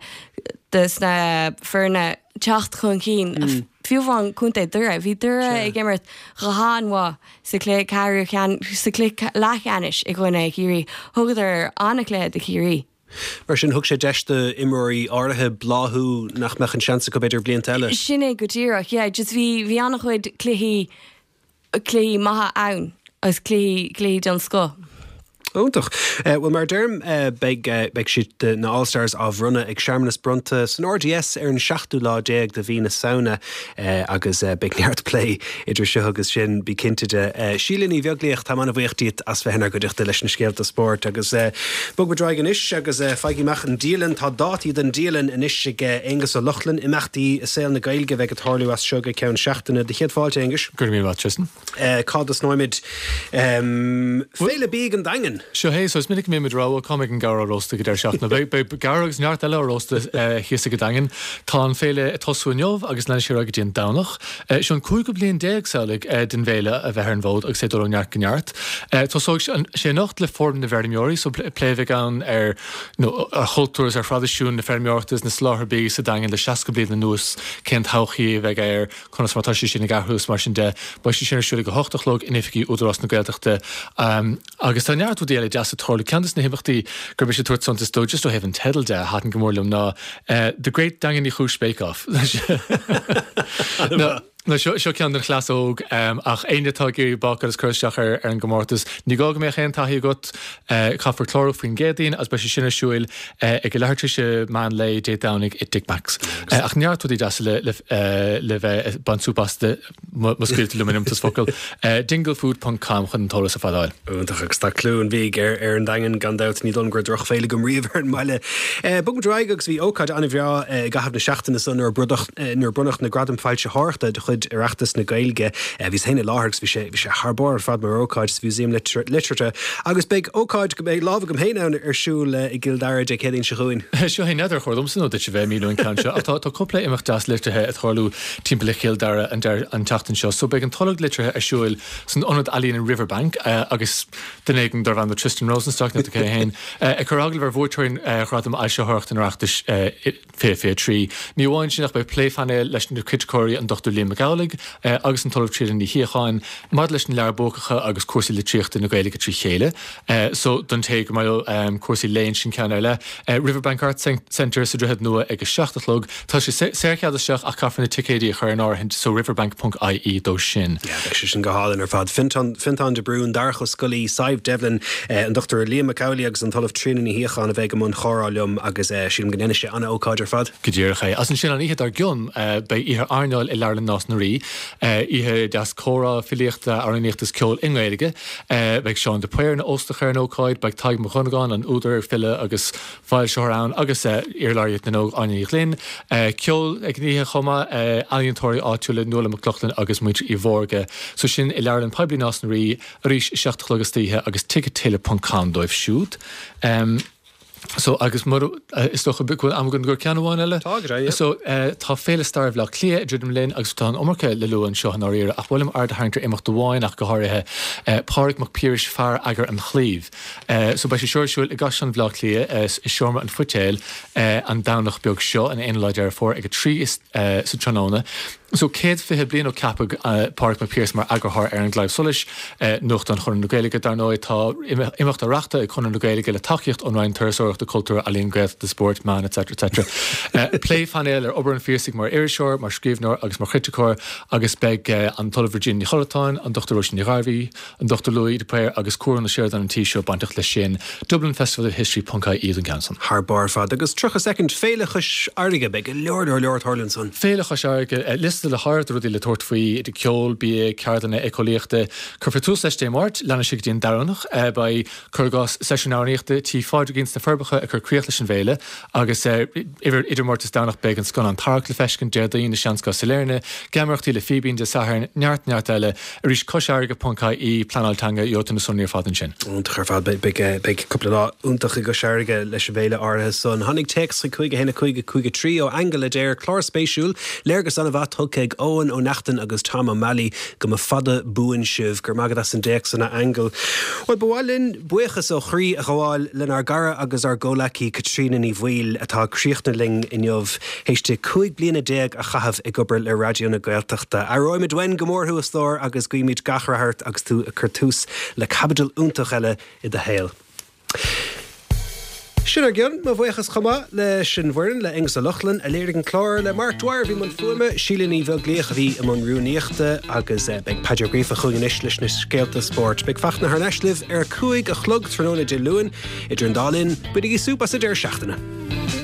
dos na foirne teacht chun cinn. Mm. Fiú amháin contae Doire, bhí Doire ag imirt go han-mhaith sa chluiche ceathrú sa chluiche leathcheannais i gcoinne Chiarraí. Thugadar an-chluiche do Chiarraí. Mar sin thug sé deis d'imreoirí áirithe bláthú nach mbeadh an seans acu b'fhéidir blianta eile. Sin é go díreach, yeah, just bhí bhí an-chuid cluichí cluichí maithe ann agus cluichí cluichí den scoth. Iontach. Bhuel mar deirim beidh beidh siad na All Stars á bhronnadh ag searmanas bronnta san RDS ar an seachtú lá déag de mhí na Samhna agus beidh neart plé idir seo agus sin bí cinnte de. Síle Ní Bheaglaoich tá an-bhuíoch díot as bheith inár gcuideachta leis na scéalta spóirt agus bogfaimid ar aghaidh anois agus faighidh amach an dialann tá dátaí den dialann anois ag Aonghus Ó Lochlainn imeachtaí i saol na Gaeilge a bheidh ag tarlú as seo go ceann seachtaine. Do chéad fáilte Aonghus. Go raibh míle maith Tristan. Cá dtosnóimid Féile Bídh an Daingean. Seo é, so is minic mé rá cá mbeidh an gabhar á róstadh ag deireadh seachtaine. Beidh beidh gabhar agus neart eile á róstadh thíos ag an Daingean. Tá an féile ag tosú inniu agus leanfaidh sé ar aghaidh go dtí an Domhnach. Seo an cúigiú bliain déag samhlaigh den bhféile a bheith ar an bhfód agus é ag dul ó neart go neart. Tosóidh sé anocht le Fóram na bhFeirmeoirí, so plé a bheidh ann ar nó ar chultúr is ar thraidisiún na feirmeoireachta is na soláthair bídh sa Daingean le seasca bliain anuas, cén todhchaí a bheidh air, conas mar atá sé sin ag athrú is mar sin de. Beidh sé sin ar siúl ag a hocht a chlog in oifigí Údarás na Gaeltachta. Agus tá neart rudaí eile deasa ag tarlú. Ceann de na himeachtaí gur miste tabhairt suntas dó just ó thaobh an teidil de a thaitin go mór liom ná The Great Daingean Uí Chúis Bake Off. Nó seo seo ceann den chleas óg ach éinne atá ag iarraidh bácáil is cur isteach ar ar an gcomórtas, ní gá go mbeadh aon taithí agat, caithfear clárú faoin gCéadaoin agus beidh sé sin ar siúil ag a leathuair tar éis meán lae Dé Domhnaigh i dTigh Macs. Ach neart rudaí deasa le le le bheith ag baint súp as má scaoiltear liom an iomtas focal. Dinglefood ponc com chun an t-eolas ar fad a fháil. Iontach agus tá clú an bhídh ar ar an Daingean gan dabht, ní dóigh liom go raibh drochbhéile agam riamh ar an mbaile. Bogfaimid ar aghaidh agus bhí ócáid an-bhreá i gcaitheamh na seachtaine so nuair a bronnadh nuair a bronnadh na Gradaim Foilsitheoireachta de chuid Oireachtas na Gaeilge. Bhíos féin i láthair agus bhí sé bhí sé thar barr ar fad mar ócáid sa Mhúsaem Liteartha agus beidh ócáid go mbeidh lámh agam féin ann ar siúl i gCill Dara Dé Céadaoin seo chugainn. Seo é n'fheadar ar chóir domsa nó duit a bheith ag míniú an ceann seo ach tá tá cúpla imeacht deas liteartha ag tarlú timpeall ar Chill Dara an an tseachtain seo. So beidh an Tolg Liteartha ar siúl san Ionad Ealaíon in Riverbank agus duine éigin darb ainm Tristan Rosenstock nó cé féin ag cur agallamh ar bhuaiteoirí Ghradam Fhoilsitheoireachta an Oireachtais fiche fiche trí. Ní amháin sin ach beidh plé phainéil leis na criticeoirí an Dochtúir Liam Mac Amhlaigh agus an tOllamh Tríona Ní Shíocháin maidir leis na leabhair buacacha agus cúrsaí litríochta na Gaeilge trí chéile. So don té gur maith leo cúrsaí léinn sin ceann ar leith. Riverbank Arts Centre sa Droichead Nua ag a seacht a chlog. Tá sé saorchead isteach ach caithfear na ticéidí a chur in áirithint so riverbank ponc ie dó sin. Yeah, beidh sé sin go hálainn ar fad. Fintán, Fintán de Brún, Darach Ó Scolaí, Sadhbh Devlin, an Dochtúir Liam Mac Amhlaigh agus an tOllamh Tríona Ní Shíocháin a bheidh i mbun chomhrá liom agus sílim go ndéanfaidh sé an-ócáid ar fad. Go díreach é. As ansin an oíche dár gcionn beidh oíche airneáil i Leabharlann Nás na Rí, oíche deas comhrá, filíochta, amhránaíochta is ceoil i nGaeilge. Beidh Seán de Paor ina óstach ar an ócáid, beidh Tadhg Mac Dhonnagáin, an údar, file agus foilsitheoir ann agus iar-Laureate na nÓg Áine Ní Ghlinn. Ceol ag an oíche chomh maith, ealaíontóirí áitiúla Nuala Mac Lochlainn agus muintir Uí Mhórdha. So sin i Leabharlann Poiblí Nás na Rí arís a seacht a chlog istoíche agus tickettailor ponc com dóibh siúd. So agus mura, is dócha go bhfuil am againn do cheann amháin eile? Tá, go deimhin, yeah. So tá Féile Staire Bhaile Átha Cliath ag druidim linn agus tá an iomarca le lua anseo i ndáiríre ach ba mhaith liom aird a tharraingt ar imeacht amháin ach go háirithe, Pádraig Mac Piarais, Fear Eagair an Chlaímh. So beidh sé seo ar siúl i gCaisleán Bhaile Átha Cliath i Seomra an Phoitéil an Domhnach beag seo, an aonú lá Deireadh Fómhair ag a trí sa tráthnóna. So céad fiche bliain ó ceapadh Pádraig Mac Piarais mar eagarthóir ar An Claidheamh Soluis, nuachtán Chonradh na Gaeilge, dar ndóigh, tá imeacht á reáchtáil ag Conradh na Gaeilge le tacaíocht ón Roinn Turasóireachta, Cultúir, Ealaíon, Gaeltachta, Spóirt, Meán etc etc. Plé phainéil ar obair an Phiarsaigh mar iriseoir, mar scríbhneoir agus mar chriticeoir agus beidh an tOllamh Regina Ní Chollatáin, an Dochtúir Róisín Ní Ghairbhí, an Dochtúir Louis de Paor agus Cuan Ó Seireadáin an tí seo bainteach leis sin. Dublin Festival of History ponc ie don gceann san. Thar barr ar fad. Agus tríocha soicind, Féile Chois Fharraige, beidh go leor leor leor ag tarlú ansan. Féile Chois Fharraige, liosta le háireamh de rudaí le tabhairt faoi, idir ceol, bia, ceardlanna éiceolaíochta. Cuirfear tús leis Dé Máirt, leanfaidh sé go dtí an Domhnach. Beidh, cuir i gcás, seisiún amhránaíochta Tí Phádraigín sna Forbacha ag cur críoch leis an bhféile agus idir Máirt is Domhnach beidh an scannán Tarrac le feiscint, Déardaoin i Seanscoil Sailearna, Geamaireachtaí le Fíbín Dé Sathairn, neart neart eile. Arís, coisfharraige ponc ie, pleanáil teanga, gheobhaidh tú na sonraí ar fad ansin. Iontach ar fad. Beidh beidh cúpla lá iontach i gCois Fharraige leis an bhféile áirithe san. Tháinig téacs chuig cúig a haon a cúig a cúig a trí ó Aingeal a deir, Clár spéisiúil, léargas an-mhaith tugtha ag Eoin Ó Neachtain agus Tom Ó Meallaigh. Go mba fada buan sibh. Go raibh maith agat as an dtéacs san, a Aingeal. Bhuel, ba mhaith linn buíochas ó chroí a ghabháil lenár gcara agus ár gcomhleacaí Caitríona Ní Bhaoill atá ag críochnú linn inniu théis di cúig bliana déag a chaitheamh ag obair le Raidió na Gaeltachta. Aireoimid uainn go mór thú, a stór, agus guímid gach rath ort agus tú ag cur tús le caibidil iontach eile i do shaol. Sin ár gcionn, mo bhuíochas chomh maith leis an bhfoireann, le Aonghus Ó Lochlainn a léirigh an clár, le Mark Dwyer a bhí i mbun fuaime, Síle Ní Bheaglaoich a bhí i mbun rúnaíochta agus beidh Paddy Ó Gríofa chugainn anois leis na scéalta spóirt. Beidh Fachtna thar n-ais libh ar a cúig a chlog tráthnóna Dé Luain. Idir an dá linn, bainigí súp as an deireadh seachtaine.